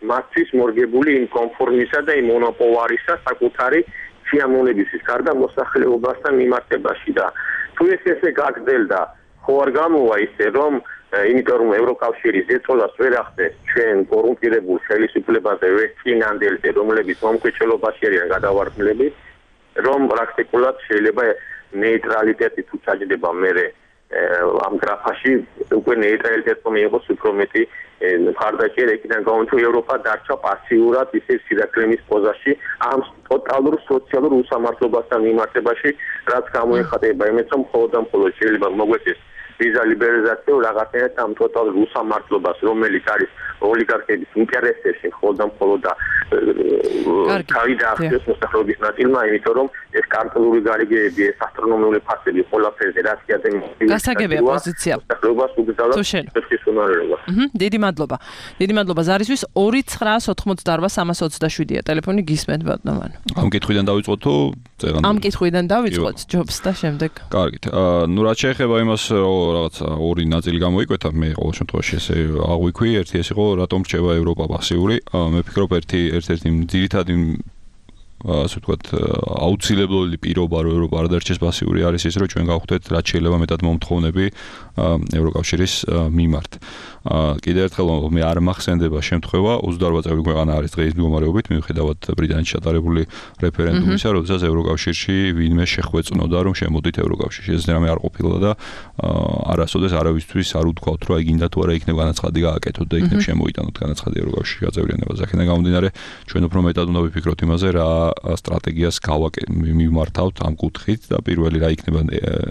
მათთვის მორგებული იმ კონფორმისა და იმ მონოპოლარისა საკუთარი სიამოვნებისთვის გარდა მოსახლეობასთან მიმართებაში და თუ ესე გაგრძელდა ხო არ გამოვა ისე რომ იმიტომ რომ ევროკავშირის ზეწოლას ვერ ახდენს ჩვენ კორუმპირებულ ხელისუფლებაზე ვესწინანდელზე რომლებიც მომკვეთლობაში არიან გადავარდნილები რომ პრაქტიკულად შეიძლება ნეიტრალიტეტი თუ ჩაჯდება მერე ამ გრაფაში უკვე ნეიტრალიტეტმა მიიღოს უფრო მეტი მხარდაჭერა იქიდან გამომდინარე ევროპა დარჩა პასიურად ისე სირაქლემის პოზაში ამ ტოტალურ სოციალურ უსამართლობასთან მიმართებაში რაც გამოეხატება იმით რომ მხოლოდ და მხოლოდ შეიძლება მოგვეცეს ვიზა ლიბერალიზაცია რაღაცნაირად ამ ტოტალურ უსამართლობას რომელიც არის ოლიგარქების ინტერესებში მხოლოდ და მხოლოდ და თავი დაახდოს მოსახლეობის ნაწილმა იმიტომ რომ ეს კარტელური გარიგეები ეს ასტრონომიული ფასები ყველაფერზე რაც გადამიღება გასაგებია პოზიცია მოსახლეობას უგზავნოს ეს უნარობა დიდი მადლობა ზარისთვის 2988327-ია ტელეფონი გისმენთ ბატონო ამ კითხვიდან დავიწყოთ თუ ამ კითხვიდან დავიწყოთ ჯობს და შემდეგ კარგით ნუ რაც შეეხება იმას რაღაცა ორი ნაწილი გამოიკვეთა მე ყოველ შემთხვევაში ესე აღვიქვი ერთი ეს იყო რატომ რჩება ევროპა პასიური მე ვფიქრობ ერთ-ერთი ძირითადი ასე ვთქვათ აუცილებლი პირობა რომ ევროპა არ დარჩეს პასიური არის ის რომ ჩვენ გავხდეთ რაც შეიძლება მეტად მომთხოვნები ევროკავშირის მიმართ კიდევ ერთხელ მე არ მახსენდება შემთხვევა 28 წევრი ქვეყანა არის დღეს მდგომარეობით მიუხედავად ბრიტანეთში ჩატარებული რეფერენდუმისა როდესაც ევროკავშირში ვინმე შეხვეწნოდა რომ შემოდით ევროკავშირში ეს რამე არ ყოფილა და არასოდეს არავისთვის არ უთქვათ რომ აი გინდა თუ არა იქნება განაცხადი გააკეთოთ და იქნებ შემოიტანოთ განაცხადი ევროკავშირში გაწევრიანებას აქედან გამომდინარე ჩვენ უფრო მეტად უნდა ვიფიქროთ იმაზე რა სტრატეგიას მივმართავთ ამ კუთხით და პირველი რა იქნება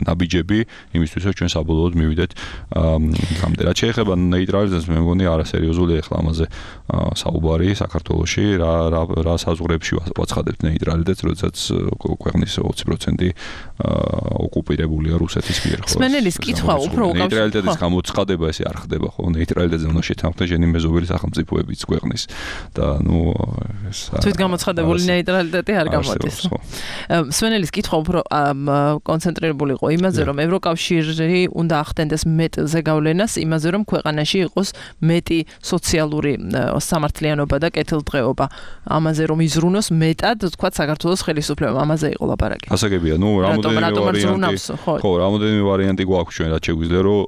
ნაბიჯები იმისთვის რომ ჩვენ საბოლოოდ მივიდეთ გამდე რაც შეეხება ნეიტრალიზაციას მე მგონი არასერიოზულია ახლა ამაზე საუბარი საქართველოში რა საზღვრებში ვაცხადებთ ნეიტრალიტეტს როდესაც ქვეყნის 20% ოკუპირებულია რუსეთის მიერ ხო სმენელის კითხვა უფრო ნეიტრალიტეტის გამოცხადება ესე არ ხდება ხო ნეიტრალიტეტზე უნდა შეთანხმდეს ჟენი მეზობელი სახელმწიფოებიც ქვეყნის და ნუ ეს თვით გამოცხადებული ნეიტრალიტეტი არ გამოდის სმენელის კითხვა უფრო კონცენტრირებული იყო იმაზე რომ ევროკავშირი უნდა ახდენდეს მეტ ზეგავლენას იმაზე რომ ქვეყანაში იყოს მეტი სოციალური სამართლიანობა და კეთილდღეობა ამაზე რომ იზრუნოს მეტად თქვა საქართველოს ხელისუფლებამ ამაზე იყო ლაპარაკი გასაგებია ნუ რამოდენიმე ვარიანტი გვაქვს ჩვენ რაც შეგვიძლია რომ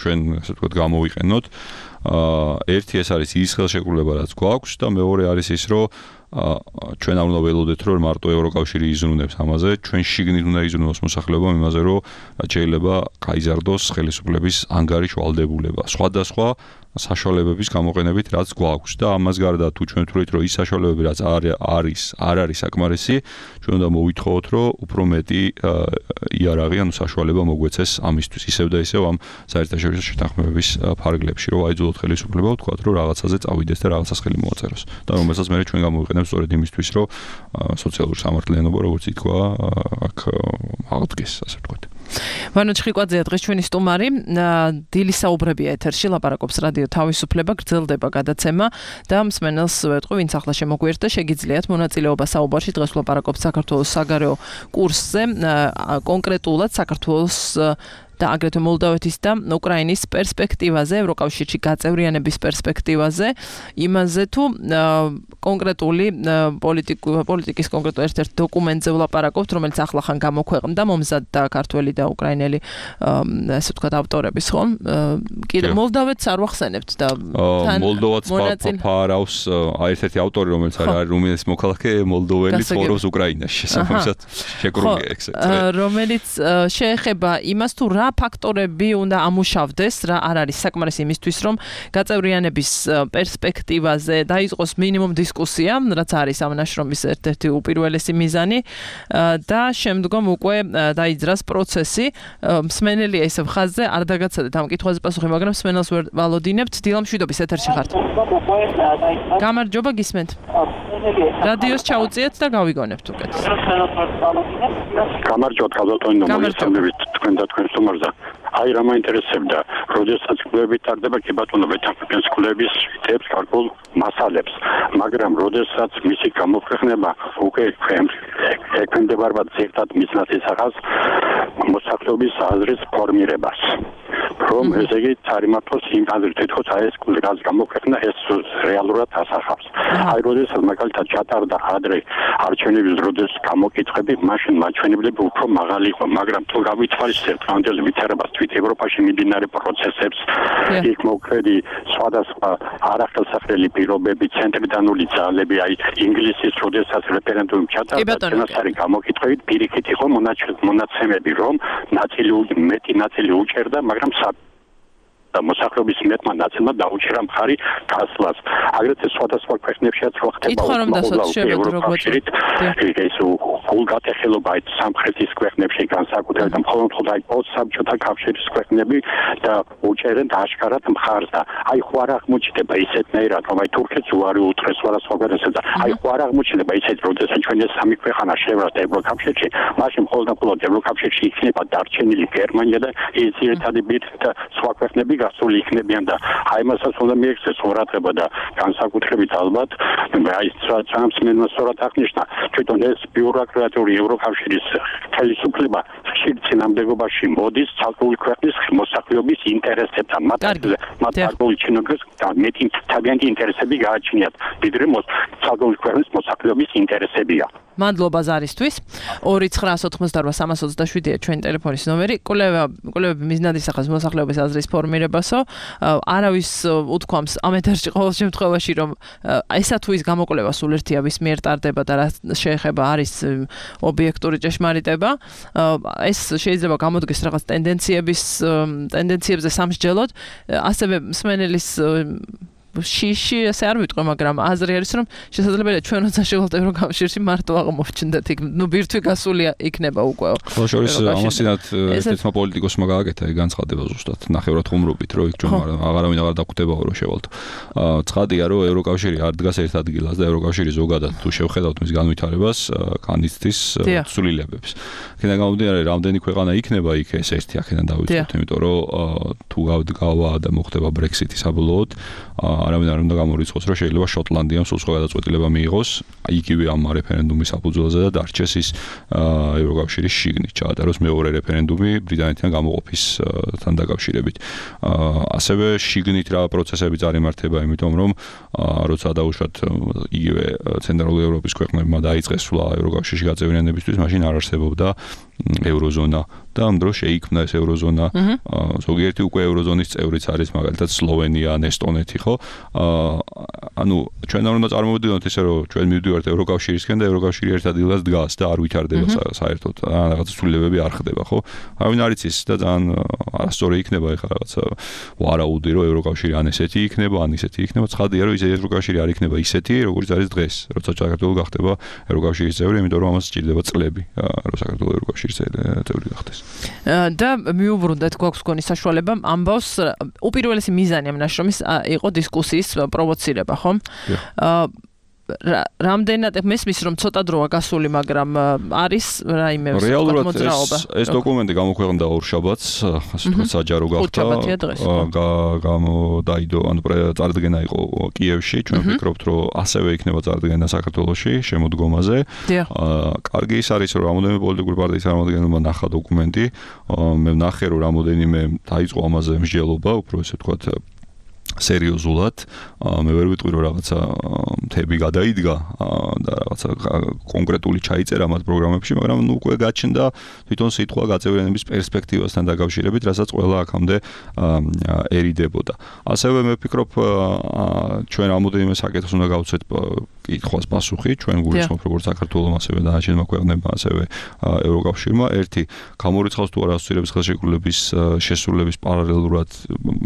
ჩვენ ასე ვთქვათ გამოვიყენოთ ერთი ეს არის ის ხელშეკრულება რაც გვაქვს და მეორე არის ის რომ ჩვენ არ უნდა ველოდეთ რომ მარტო ევროკავშირი იზრუნებს ამაზე ჩვენ შიგნით უნდა იზრუნოს მოსახლეობა იმაზე რომ შეიძლება გაიზარდოს ხელისუფლების ანგარიშ ვალდებულება სხვადასხვა საშუალებების გამოყენებით რაც გვაქვს და ამას გარდა თუ ჩვენ ვთვლით რომ ის საშუალებები რაც არ არის საკმარისი ჩვენ უნდა მოვითხოვოთ რომ უფრო მეტი იარაღი ანუ საშუალება მოგვეცეს ამისთვის ისევ და ისევ ამ საერთაშორისო შეთანხმებების ფარგლებში რომ აიძულოთ ხელისუფლება ვთქვათ რომ რაღაცაზე წავიდეს და რაღაცას ხელი მოაწეროს და რომელსაც მე ჩვენ გამოვიყენებთ სწორედ იმისთვის რომ სოციალური სამართლიანობა როგორც ითქვა აქ აღდგეს ასე ვთქვათ ვანო ჩხიკვაძეა დღეს ჩვენი სტუმარი დილის საუბრებია ეთერში ლაპარაკობს რადიო თავისუფლება გრძელდება გადაცემა და მსმენელს ვეტყვი ვინც ახლა შემოგვიერთდა შეგიძლიათ მონაწილეობა საუბარში დღეს ლაპარაკობს საქართველოს საგარეო კურსზე კონკრეტულად საქართველოს და აგრეთვე მოლდოვეთის და უკრაინის პერსპექტივაზე, ევროკავშირში გაწევრიანების პერსპექტივაზე, იმაზე თუ კონკრეტული პოლიტიკის კონკრეტულ ერთ-ერთ დოკუმენტზე ვლაპარაკობთ, რომელიც ახლახან გამოქვეყნდა მომზადდა ქართველი და უკრაინელი ასე ვთქვათ ავტორების, ხო? კიდე მოლდოვეთს არ ვახსენებთ და მოლდოვაც ფარავს ერთ-ერთი ავტორი, რომელიც არის რუმინეთის მოქალაქე, მოლდოველი ცხოვრობს უკრაინაში, შესაბამისად შეკრულია ეს. რომელიც შეეხება იმას თუ რა ფაქტორები უნდა ამუშავდეს, რა არ არის საკმარისი იმისთვის, რომ გაწევრიანების პერსპექტივაზე დაიწყოს მინიმუმ დისკუსია, რაც არის ამ ნაშრომის ერთ-ერთი უპირველესი მიზანი და შემდგომ უკვე დაიძრას პროცესი. მსმენელია ისევ ხაზზე, არ დაგაცადეთ ამ კითხვაზე პასუხი, მაგრამ მსმენელს ვერ ვალოდინებთ. დილა მშვიდობის ეთერში ხართ. გამარჯობა, გისმენთ. რადიოს ჩაუწიეთ და გავიგონებთ უკეთ. გამარჯობა, ქალბატონო, მოგესალმებით თქვენ და თქვენ სტუმარზე. აი რა მაინტერესებდა, როდესაც კლუბები ტარდება, კი ბატონო, ვეთანხმებს კლუბების თემს, გარკვეულ მასალებს, მაგრამ როდესაც მისი გამოქვეყნება უკვე ექვემდებარება ზედმეტად მიზნად ისახავს მოსახლეობის აზრის ფორმირებას. რომ ესე იგი წარიმართოს იმ აზრით, თითქოს აი ეს კლუბის გამოქვეყნა ეს რეალურად ასახავს. აი როდესაც მაგალითად ჩატარდა ადრე არჩევნების დროს გამოკითხები, მაშინ მაჩვენებლები უფრო მაღალი იყო, მაგრამ თუ გავითვალისწინებთ ამდელ ვითარებას თვით ევროპაში მიმდინარე პროცესებს, იქ მოქმედი სხვადასხვა არახელსაყრელი პირობები, ცენტრიდანული ძალები, აი ინგლისის როდესაც რეფერენდუმი ჩატარდა, წინასწარი გამოკითხვებით პირიქით იყო მონაცემები, რომ მეტი ნაწილი უჭერდა, მაგრამ და მოსახლეობის მეტმა ნაწილმა დაუჭირა მხარი გასვლას. აგრეთვე სხვადასხვა ქვეყნებშიც რო ხდება ევროკავშირით, ეს გულგატეხილება აი სამხრეთის ქვეყნებში განსაკუთრებით და მხოლოდ აი პოსტსაბჭოთა კავშირის ქვეყნები და უჭერენ აშკარად მხარს და აი ხო არ აღმოჩნდება ისეთნაირად, რომ აი თურქეთს უარი უთხრეს სხვადასხვა ქვეყნებსა და აი ხო არ აღმოჩნდება ისეთ, როდესაც ჩვენ ეს სამი ქვეყანა შევართ ევროკავშირში, მაშინ მხოლოდ ევროკავშირში იქნება დარჩენილი გერმანია და ის ერთადი ბირთვი და სხვა ქვეყნები გასული იქნებიან და აი მასაც უნდა მიექცეს ყურადღება და განსაკუთრებით ალბათ აი სამსმენელს სწორად აღნიშნა თვითონ ეს ბიუროკრატიული ევროკავშირის ხელისუფლება ხშირ წინამდებობაში მოდის ცალკეული ქვეყნის მოსახლეობის ინტერესებთან მათ გარკვეული ჩინოგრეს მეტი თავიანთი ინტერესები გააჩნიათ ვიდრე ცალკეული ქვეყნის მოსახლეობის ინტერესებია. მადლობა ზარისთვის. 29988 ჩვენი ტელეფონის ნომერი. კვლევები მიზნად ისახავს მოსახლეობის აზრის ფორმირებასო. არავის უთქვამს ამ ეთერში ყოველ შემთხვევაში, რომ ესა თუ ის გამოკვლევა სულ ერთიავის მიერ ტარდება და რა შეეხება არის ობიექტური ჭეშმარიტება. ეს შეიძლება გამოდგეს რაღაც ტენდენციებზე სამსჯელოდ. ასევე მსმენელის შიში ასე არ ვიტყვი, მაგრამ აზრი არის, რომ შესაძლებელია ჩვენ როცა შევალთ ევროკავშირში მარტო აღმოვჩნდეთ იქ, ბირთვი გასული იქნება უკვე. ხოლო შორის ამასინათ ერთმა პოლიტიკოსმა გააკეთა განცხადება ზუსტად ნახევრად ხუმრობით, რომ იქ ჩვენ აღარავინ აღარ დაგვხვდებაო რომ შევალთ. ცხადია, რომ ევროკავშირი არ დგას ერთ ადგილას და ევროკავშირი ზოგადად თუ შევხედავთ მის განვითარებას, განიცდის ცვლილებებს. აქედან გამომდინარე, რამდენი ქვეყანა იქნება იქ ეს ერთი აქედან დავიწყოთ, იმიტომ რომ თუ გავა და მოხდება Brexit-ი საბოლოოდ არავინ არ უნდა გამორიცხოს, რომ შეიძლება შოტლანდიამ სულ სხვა გადაწყვეტილება მიიღოს იგივე ამ რეფერენდუმის საფუძველზე და დარჩეს ის ევროკავშირის შიგნით, ჩაატაროს მეორე რეფერენდუმი ბრიტანეთთან გამოყოფისთან დაკავშირებით. ასევე შიგნით რა პროცესები წარიმართება, იმიტომ რომ როცა დაუშვათ იგივე ცენტრალური ევროპის ქვეყნებმა დაიწყეს სვლა ევროკავშირში გაწევრიანებისთვის, მაშინ არ არსებობდა ევროზონა და ამ დროს შეიქმნა ეს ევროზონა. ზოგიერთი უკვე ევროზონის წევრიც არის, მაგალითად სლოვენია, ესტონეთი, ხო? ანუ ჩვენ არ უნდა წარმოვიდგინოთ ისე, რომ ჩვენ მივდივართ ევროკავშირისკენ და ევროკავშირი ერთ ადგილას დგას და არ ვითარდება საერთოდ. რაღაც ცვლილებები არ ხდება, ხო? არავინ არ იცის და ძალიან არასწორი იქნება ეხლა რაღაცა ვარაუდი, რომ ევროკავშირი ან ესეთი იქნება, ან ისეთი იქნება. ცხადია, რომ ეს ევროკავშირი არ იქნება ისეთი, როგორც არის დღეს, როცა საქართველო გახდება ევროკავშირის წევრი, იმიტომ რომ ამას სჭირდება წლები, რომ საქართველო ევროკავშირის წევრი გახდეს. და მიუბრუნდეთ გვაქვს გონი საშუალება ამბავს უპირველესი მიზანი ამ ნაშრომის იყო დისკუსიის პროვოცირება, ხომ? რამდენად მესმის რომ ცოტა დროა გასული, მაგრამ არის რაიმე მოძრაობა. ეს დოკუმენტი გამოქვეყნდა ორშაბათს, ასე ვთქვათ, საჯარო გახდა. გამოდაიდო, ანუ წარდგენა იყო კიევში, ჩვენ ვფიქრობთ, რომ ასევე იქნება წარდგენა საქართველოში შემოდგომაზე. კარგი ის არის, რომ რამოდენიმე პოლიტიკური პარტიის წარმომადგენელმა ნახა დოკუმენტი. მე ვნახე, რომ რამოდენიმე დაიწყო ამაზე მსჯელობა, უფრო ესე ვთქვათ სერიოზულად მე ვერ ვიტყვი რომ რაღაცა თები გადაიდგა და რაღაცა კონკრეტული ჩაიწერა მათ პროგრამებში, მაგრამ ნუ უკვე გაჩნდა თვითონ სიტყვა გაწევრიანების პერსპექტივასთან დაკავშირებით, რასაც ყველა აქამდე ერიდებოდა. ასევე მე ვფიქრობ ჩვენ რამოდენიმე საკითხს უნდა გავცეთ კითხვას პასუხი, ჩვენ გულისხმობ როგორც საქართველოს ასევე დანარჩენმა ქვეყნებმა, ასევე ევროკავშირმა. ერთი გამორიცხავს თუ არა ასოცირების ხელშეკრულების შესრულების პარალელურად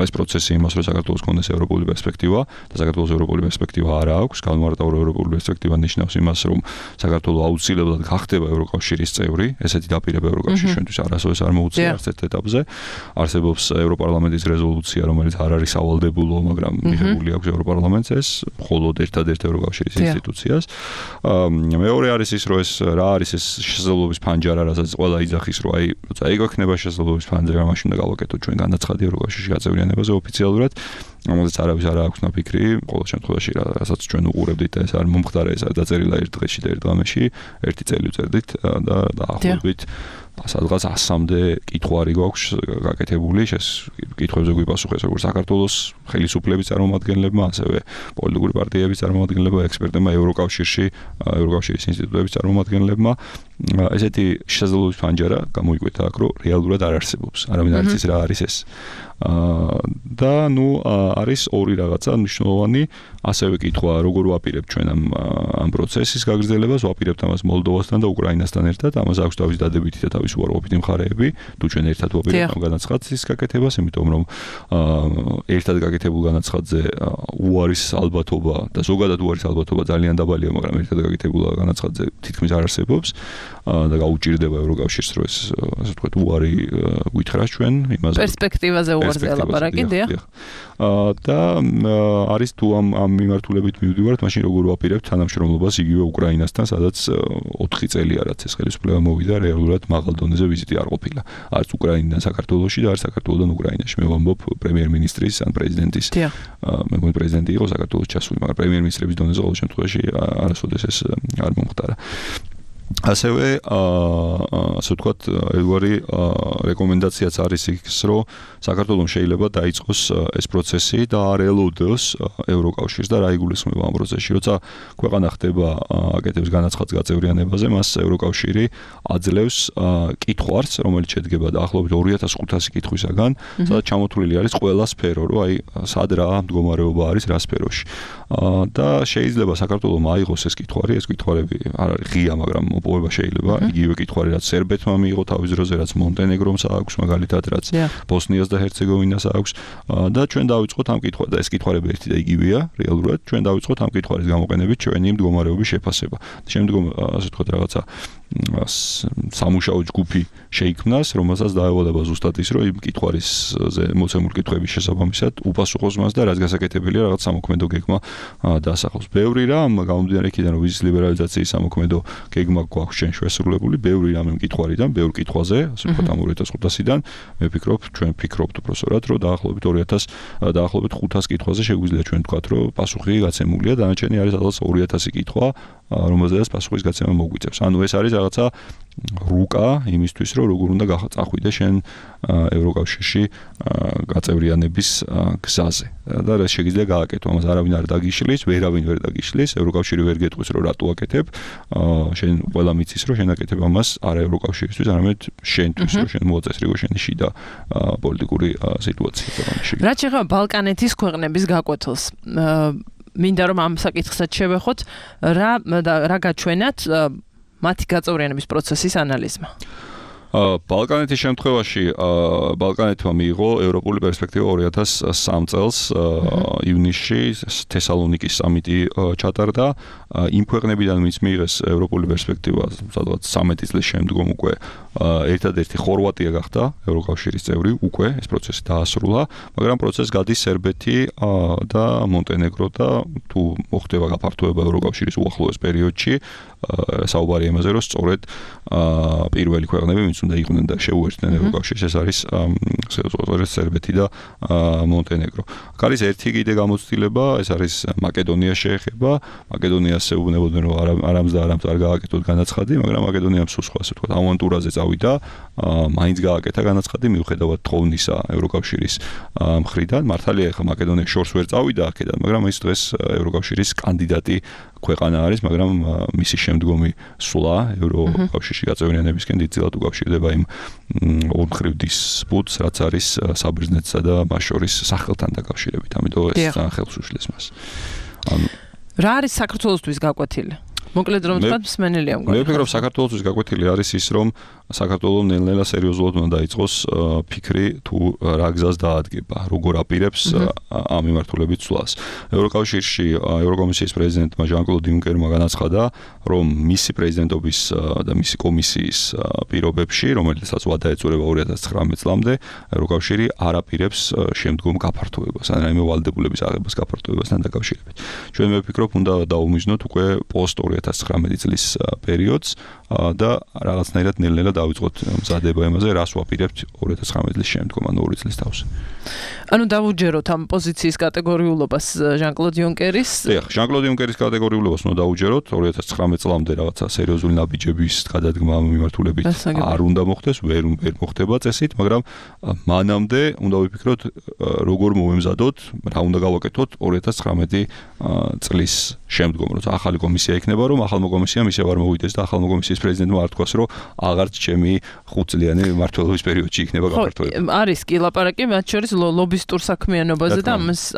ეს პროცესი იმას, რომ საქართველოს კონდეს ევროპული პერსპექტივა და საქართველოს ევროპული პერსპექტივა არ აქვს. განმარტავ რომ ევროპული პერსპექტივა ნიშნავს იმას, რომ საქართველოს აუცილებლად გახდება ევროკავშირის წევრი. ესეთი დაპირება ევროკავშირის ჩვენთვის არასოდეს არ მოუწია არც ერთ ეტაპზე. არსებობს ევროპარლამენტის რეზოლუცია, რომელიც არ არის სავალდებულო, მაგრამ მიღებული აქვს ევროპარლამენტს ეს, მხოლოდ ერთადერთ ევროკავშირის ინსტიტუციას. მეორე არის ის, რომ ეს რა არის ეს შესაძლებლობის ფანჯარა, რასაც ყველა იძახის, რომ აი, როცა ეგვექნება შესაძლებლობის ფანჯარა, მაშინ უნდა გავაკეთოთ ჩვენ განაცხადი ევროკავშირში გაწევრიანებაზე ოფიციალურად. ამაზე არავის არ აქვს ნაფიქრი, ყოველ შემთხვევაში რასაც ჩვენ უყურებდით და ეს არ მომხდარა, ეს არ დაწერილა ერთ დღეში და ერთ ღამეში, ერთი წელი ვწერდით და დაახლოებით სადღაც 100-მდე კითხვარი გვაქვს გაკეთებული, კითხვებზე გვიპასუხეს როგორც საქართველოს ხელისუფლების წარმომადგენლებმა, ასევე პოლიტიკური პარტიების წარმომადგენლებმა, ექსპერტებმა, ევროკავშირის ინსტიტუტების წარმომადგენლებმა. ესეთი შესაძლებლობის ფანჯარა გამოიკვეთა აქ, რომ რეალურად არ არსებობს. არავინ არ იცის რა არის ეს. და ნუ არის ორი რაღაცა მნიშვნელოვანი, ასევე კითხვა, როგორ ვაპირებთ ჩვენ ამ პროცესის გაგრძელებას, ვაპირებთ ამას მოლდოვასთან და უკრაინასთან ერთად, ამას აქვს თავის დადებითი და თავის უარყოფითი მხარეები, თუ ჩვენ ერთად ვაპირებთ ამ განაცხადის გაკეთებას, იმიტომ რომ ერთად გაკეთებულ განაცხადზე უარის ალბათობა და ზოგადად უარის ალბათობა ძალიან დაბალია, მაგრამ ერთად გაკეთებულ განაცხადზე თითქმის არ არსებობს და გაუჭირდება ევროკავშირს, რომ ეს ასე ვთქვათ უარი გვითხრას ჩვენ იმაზე პერსპექტივაზე უარზე ელაპარაკი, დიახ. და არის თუ ამ მიმართულებით მივდივართ, მაშინ როგორ ვაპირებთ თანამშრომლობას იგივე უკრაინასთან, სადაც 4 წელია რაც ეს ხელისუფლება მოვიდა, რეალურად მაღალ დონეზე ვიზიტი არ ყოფილა. არც უკრაინიდან საქართველოში და არც საქართველოსდან უკრაინაში. მე ვამბობ პრემიერ-მინისტრის ან პრეზიდენტის. მე მგონი პრეზიდენტი იყო საქართველოს ჩასული, მაგრამ პრემიერ-მინისტრების დონეზე ყოველ შემთხვევაში არასოდეს ეს არ მომხდარა. ასევე ასე ვთქვათ, ერთგვარი რეკომენდაციაც არის ის, რომ საქართველოს შეიძლება დაიწყოს ეს პროცესი და არ ელოდოს ევროკავშირს და რა იგულისხმება ამ პროცესში. როცა ქვეყანა ხდება აკეთებს განაცხადს გაწევრიანებაზე, მას ევროკავშირი აძლევს კითხვარს, რომელიც შედგება დაახლოებით 2500 კითხვისაგან, სადაც ჩამოთვლილი არის ყველა სფერო, რომ აი სად რა მდგომარეობა არის რა სფეროში. და შეიძლება საქართველოს მაიღოს ეს კითხვარი, ეს კითხვარები არ არის ღია, მაგრამ მოპოვება შეიძლება. იგივე კითხვარი რაც სერბეთმა მიიღო თავის დროზე, რაც მონტენეგრომს აქვს, მაგალითად რაც ბოსნიას და ჰერცეგოვინას აქვს და ჩვენ დავიწყოთ ამ კითხვას და ეს კითხვარები ერთი და იგივეა რეალურად. ჩვენ დავიწყოთ ამ კითხვარის გამოყენებით ჩვენი მდგომარეობის შეფასება. შემდგომ ასე ვთქვათ რაღაცა სამუშაო ჯგუფი შეიქმნას, რომელსაც დაევალება ზუსტად ის, რომ იმ კითხვარისზე მოცემული კითხვების შესაბამისად უპასუხოს მას და რაც გასაკეთებელია რაღაც სამოქმედო გეგმა დასახავს. ბევრი რამ გამომდინარე იქიდან, რომ ვიზის ლიბერალიზაციის სამოქმედო გეგმა გვაქვს ჩვენ შესრულებული, ბევრი რამე კითხვარიდან, ბევრ კითხვაზე, ასე ვთქვათ ამ 2500-დან, მე ვფიქრობ, ჩვენ ვფიქრობთ უბრალოდ, რომ დაახლოებით 500 კითხვაზე შეგვიძლია ჩვენ ვთქვათ, რომ პასუხი გაცემულია, დანარჩენი არის სადღაც 2000 კითხვა, რომელზედაც პასუხის გაცემა მოგვიწევს. ანუ ეს არის რაღაცა რუკა იმისთვის, რომ როგორ უნდა წახვიდე შენ ევროკავშირში გაწევრიანების გზაზე. და რა შეიძლება გააკეთო, ამას არავინ არ დაგიშლის, ვერავინ ვერ დაგიშლის, ევროკავშირი ვერ გეტყვის, რომ რატო აკეთებ. შენ ყველა მიცის, რომ შენ აკეთებ ამას არა ევროკავშირისთვის, არამედ შენთვის, რომ შენ მოაწესრიგო შენი შიდა პოლიტიკური სიტუაცია ქვეყანაში. რაც შეეხება ბალკანეთის ქვეყნების გაკვეთილს, მინდა რომ ამ საკითხსაც შევეხოთ, რა გაჩვენათ მათი გაწევრიანების პროცესის ანალიზმა. ბალკანეთის შემთხვევაში ბალკანეთმა მიიღო ევროპული პერსპექტივა 2003 წელს ივნისში თესალონიკის სამიტი ჩატარდა. იმ ქვეყნებიდან ვინც მიიღეს ევროპული პერსპექტივა, სადღაც 13 წლის შემდგომ უკვე ერთადერთი ხორვატია გახდა ევროკავშირის წევრი, უკვე ეს პროცესი დაასრულა, მაგრამ პროცესს გადის სერბეთი და მონტენეგრო და თუ მოხდება გაფართოება ევროკავშირის უახლოეს პერიოდში, საუბარი იმაზე, რომ სწორედ პირველი ქვეყნები, ვინც რომლებიც უნდა იყვნენ და შეუერთდნენ ევროკავშირს, ეს არის სერბეთი და მონტენეგრო. აქ არის ერთი კიდე გამოცდილება, ეს არის მაკედონიას შეეხება. მაკედონიას ეუბნებოდნენ, რომ არამს და არამს არ გააკეთოთ განაცხადი, მაგრამ მაკედონიამ სულ სხვა ასე ვთქვათ, ავანტურაზე წავიდა, მაინც გააკეთა განაცხადი მიუხედავად თხოვნისა ევროკავშირის მხრიდან. მართალია, ახლა მაკედონია შორს ვერ წავიდა აქედან, მაგრამ ის დღეს ევროკავშირის კანდიდატი ქვეყანა არის, მაგრამ მისი შემდგომი სვლა ევროკავშირში გაწევრიანებისკენ დიდწილად უკავშირდება იმ ორმხრივ დისპუტს, რაც არის საბერძნეთსა და მას შორის სახელთან დაკავშირებით. ამიტომ ეს ძალიან ხელს უშლის მას. რა არის საქართველოსთვის გაკვეთილი? მოკლედ რომ ვთქვათ, მსმენელია მგონი. მე ვფიქრობ, საქართველოსთვის გაკვეთილი არის ის, რომ საქართველოს ნელ-ნელა სერიოზულად უნდა დაიწყოს ფიქრი თუ რა გზას დაადგება, როგორ აპირებს ამ მიმართულებით სვლას. ევროკავშირში ევროკომისიის პრეზიდენტმა ჟან-კლოდ იუნკერმა განაცხადა, რომ მისი პრეზიდენტობის და მისი კომისიის პირობებში, რომელიცაც ვადა ეწურება 2019 წლამდე, ევროკავშირი არ აპირებს შემდგომ გაფართოებას, ან რაიმე ვალდებულების აღებას გაფართოებასთან დაკავშირებით. ჩვენ მე ვფიქრობ, უნდა დაუმიზნოთ უკვე პოსტ 2019 წლის პერიოდს და რაღაცნაირად ნელ-ნელა დავიწყოთ მზადება იმაზე, რას ვაპირებთ 2019 წლის შემდგომ, ანუ 2 წლის თავს. ანუ დავუჯეროთ ამ პოზიციის კატეგორიულობას ჟან-კლოდ იუნკერის. დიახ, ჟან-კლოდ იუნკერის კატეგორიულობას უნდა დავუჯეროთ 2019 წლამდე რაღაცა სერიოზული ნაბიჯების გადადგმა მიმართულებით არ უნდა მოხდეს, ვერ მოხდება წესით, მაგრამ მანამდე უნდა ვიფიქროთ, როგორ მოვემზადოთ, რა უნდა გავაკეთოთ 2019 წლის შემდგომ, როცა ახალი კომისია იქნება, რომ ახალმა კომისიამ ისევ არ მოვიდეს და ახალმა კომისიის პრეზიდენტმა არ თქვას, რომ აღარც ჩემი 5 წლიანი მმართველობის პერიოდში იქნება გაფართოება. არის კი ლაპარაკი მათ შორის ლობისტურ საქმიანობაზე და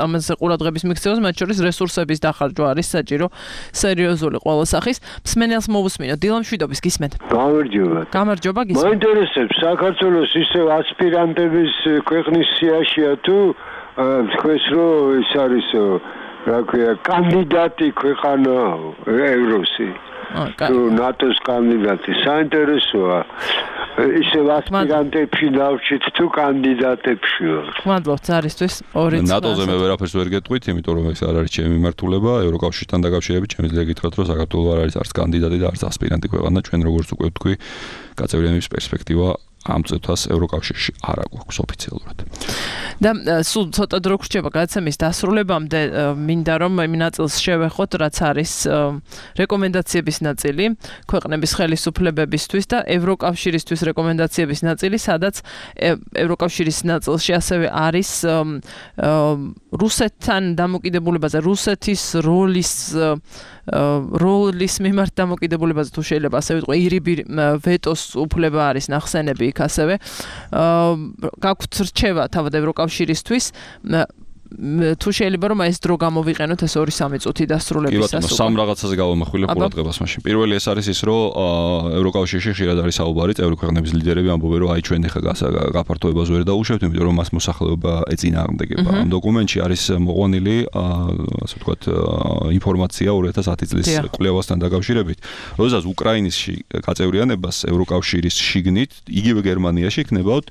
ამაზე ყურადღების მიქცევას, მათ შორის რესურსების დახარჯვა არის საჭირო, სერიოზული ყველა სახის. მსმენელს მოვუსმინოთ, დილამშვიდობის გისმენთ. გამარჯობა გისმენთ. მაინტერესებს საქართველოს ისევ ასპირანტების ქვეყნის სიაშია თუ თქვენს რომ ეს არის რა ქვია კანდიდატი ქვეყანა ევროსი თუ ნატოს კანდიდატი საინტერესოა ისევ ასპირანტებში დავჭით თუ კანდიდატებში მადლობთ არისთვის 2 წელი ნატოზე მე ვერაფერს ვერ გეტყვით იმიტომ რომ ეს არ არის ჩემი მიმართულება ევროკავშირთან დაკავშირებით შემიძლია გითხრათ რომ საქართველოს არ არის არც კანდიდატი და არც ასპირანტი ქვეყანა ჩვენ როგორც უკვე ვთქვი გაწევრიანების პერსპექტივა ამ წუთას ევროკავშირში არ აქვს ოფიციალურად. და სულ ცოტა დრო გრჩება გადაცემის დასრულებამდე მინდა რომ იმ ნაწილს შევეხოთ რაც არის რეკომენდაციების ნაწილი ქვეყნების ხელისუფლებებისთვის და ევროკავშირისთვის რეკომენდაციების ნაწილი სადაც ევროკავშირის ნაწილში ასევე არის რუსეთთან დამოკიდებულებაზე რუსეთის როლის მიმართ დამოკიდებულებაზე თუ შეიძლება ასე ვიტყვი ირიბი ვეტოს უფლება არის ნახსენები იქ ასევე გაქვთ რჩევა თავად ევროკავშირისთვის თუ შეიძლება რომ ეს დრო გამოვიყენოთ ეს 2-3 წუთი დასრულებისას. კი ბატონო, სამ რაღაცაზე გავამახვილებ ყურადღებას მაშინ. პირველი ეს არის ის, რომ ევროკავშირში ხშირად არის საუბარი, წევრი ქვეყნების ლიდერები ამბობენ, რომ აი ჩვენ ეხლა გაფართოებას ვერ დაუშვებთ, იმიტომ რომ მას მოსახლეობა ეწინააღმდეგება. ამ დოკუმენტში არის მოყვანილი, ასე ვთქვათ, ინფორმაცია 2010 წლის კვლევასთან დაკავშირებით. როდესაც უკრაინაში გაწევრიანებას ევროკავშირის შიგნით, იგივე გერმანიაში იქნებოდა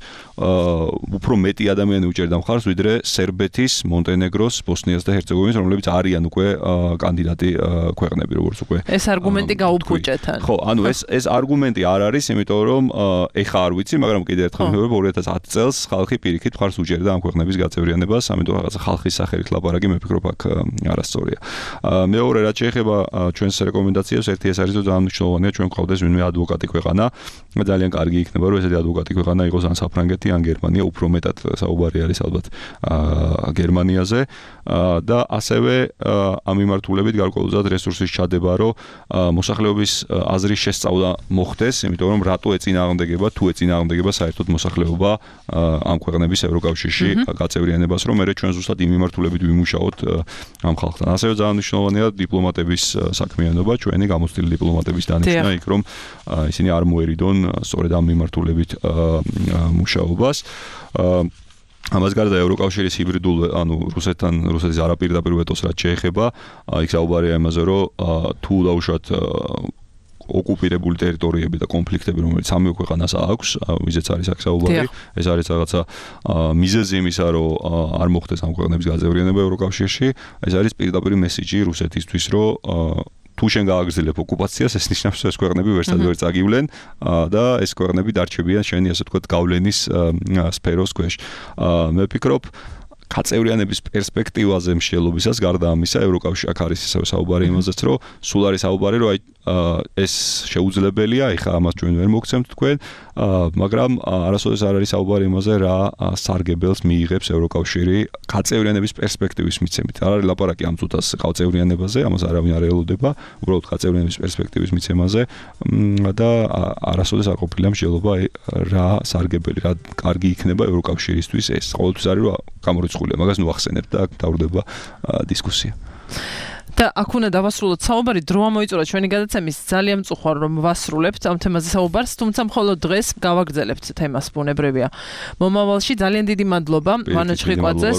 უფრო მეტი ადამიანი უჭერდა მხარს, ვიდრე სერბეთის მონტენეგროს, ბოსნიას და ჰერცეგოვინის, რომლებიც არიან უკვე კანდიდატი ქვეყნები, როგორც უკვე. ეს არგუმენტი გაუფუჭეთ. ხო, ანუ ეს არგუმენტი არ არის, იმიტომ რომ ეხა არ ვიცი, მაგრამ კიდევ ერთხელ ვიმეორებ 2010 წელს ხალხი პირიქით მხარს უჭერდა ამ ქვეყნების გაწევრიანებას, ამიტომ რაღაცა ხალხის სახელით ლაპარაკი მე ვფიქრობ აქ არასწორია. მეორე რაც შეეხება ჩვენს რეკომენდაციებს, ერთი ეს არის, რომ ძალიან მნიშვნელოვანია ჩვენ გვყავდეს ვინმე ადვოკატი ქვეყანა, ძალიან კარგი იქნება, რომ ესეთი ადვოკატი ქვეყანა იყოს ან საფრანგეთი, ან გერმანია, უფრო მეტად საუბარი არის ალბათ გერმანიაზე და ასევე ამ მიმართულებით გარკვეულწილად რესურსის ჩადება, რომ მოსახლეობის აზრის შესწავლა მოხდეს, იმიტომ რომ რატო ეწინააღმდეგება, თუ ეწინააღმდეგება საერთოდ მოსახლეობა ამ ქვეყნების ევროკავშირში გაწევრიანებას, რომ მე ჩვენ ზუსტად იმ მიმართულებით ვიმუშაოთ ამ ხალხთან. ასევე ძალიან მნიშვნელოვანია დიპლომატების საქმიანობა, ჩვენი გამოცდილი დიპლომატების დანიშვნა იქ, რომ ისინი არ მოერიდონ სწორედ ამ მიმართულებით მუშაობას. ამას გარდა ევროკავშირის ჰიბრიდულ, ანუ რუსეთის არაპირდაპირ ვეტოს რაც შეეხება, იქ საუბარია იმაზე, რომ თუ დაუშვათ ოკუპირებული ტერიტორიები და კონფლიქტები, რომელიც სამივე ქვეყანას აქვს, ვიზეც არის აქ საუბარი, ეს არის რაღაცა მიზეზი იმისა, რომ არ მოხდეს ამ ქვეყნების გაწევრიანება ევროკავშირში, ეს არის პირდაპირ მესიჯი რუსეთისთვის, რომ თუ შენ გააგრძელებ ოკუპაციას, ეს ნიშნავს, ეს ქვეყნები ვერსად ვერ წაგივლენ და ეს ქვეყნები დარჩებიან შენი, ასე ვთქვათ, გავლენის სფეროს ქვეშ. მე ვფიქრობ, კაცევრიანების პერსპექტივაზე მსჯელობისას გარდა ამისა, ევროკავშირი აქ არის ისევ საუბარი იმაზეც, რომ სულ არის საუბარი, რომ ეს შეუძლებელია, ეხლა ამას ჩვენ ვერ მოგცემთ თქვენ, მაგრამ არასოდეს არ არის საუბარი იმაზე, რა სარგებელს მიიღებს ევროკავშირი კაცევრიანების პერსპექტივის მიცემით. არ არის ლაპარაკი ამ წუთას კაცევრიანებაზე, ამას არავინ არ ელოდება, უბრალოდ კაცევრიანების პერსპექტივის მიცემაზე და არასოდეს არ ყოფილა მსჯელობა რა სარგებელი, რა კარგი იქნება ევროკავშირისთვის ეს. ყოველთვის არის რომ გამორიცხულია, მაგას ნუ ახსენებთ და აქ დავრდება დისკუსია. და აქ უნდა დავასრულოთ საუბარი, დრო ამოიწურა ჩვენი გადაცემის ძალიან მწუხვარ რომ ვასრულებთ ამ თემაზე საუბარს, თუმცა მხოლოდ დღეს გავაგრძელებთ თემას ბუნებრივია. მომავალში ძალიან დიდი მადლობა ვანო ჩხიკვაძეს,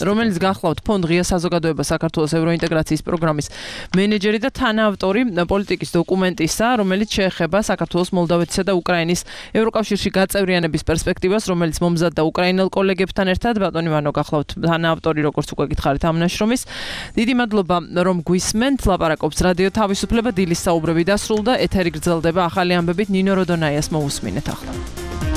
რომელიც გახლავთ ფონდ ღია საზოგადოება საქართველოს ევროინტეგრაციის პროგრამის მენეჯერი და თანაავტორი პოლიტიკის დოკუმენტისა, რომელიც შეეხება საქართველოს, მოლდავეთისა და უკრაინის ევროკავშირში გაწევრიანების პერსპექტივას, რომელიც მომზადდა უკრაინელ კოლეგებთან ერთად. ბატონი ვანო გახლავთ თანაავტორი, როგორც უკვე გითხარით ამ ნაშრომის. დიდი მადლობა რომ გვისმენთ, ლაპარაკობს რადიო თავისუფლება, დილის საუბრები დასრულდა, ეთერი გრძელდება ახალი ამბებით, ნინო როდონაიას მოусმინეთ ახლა.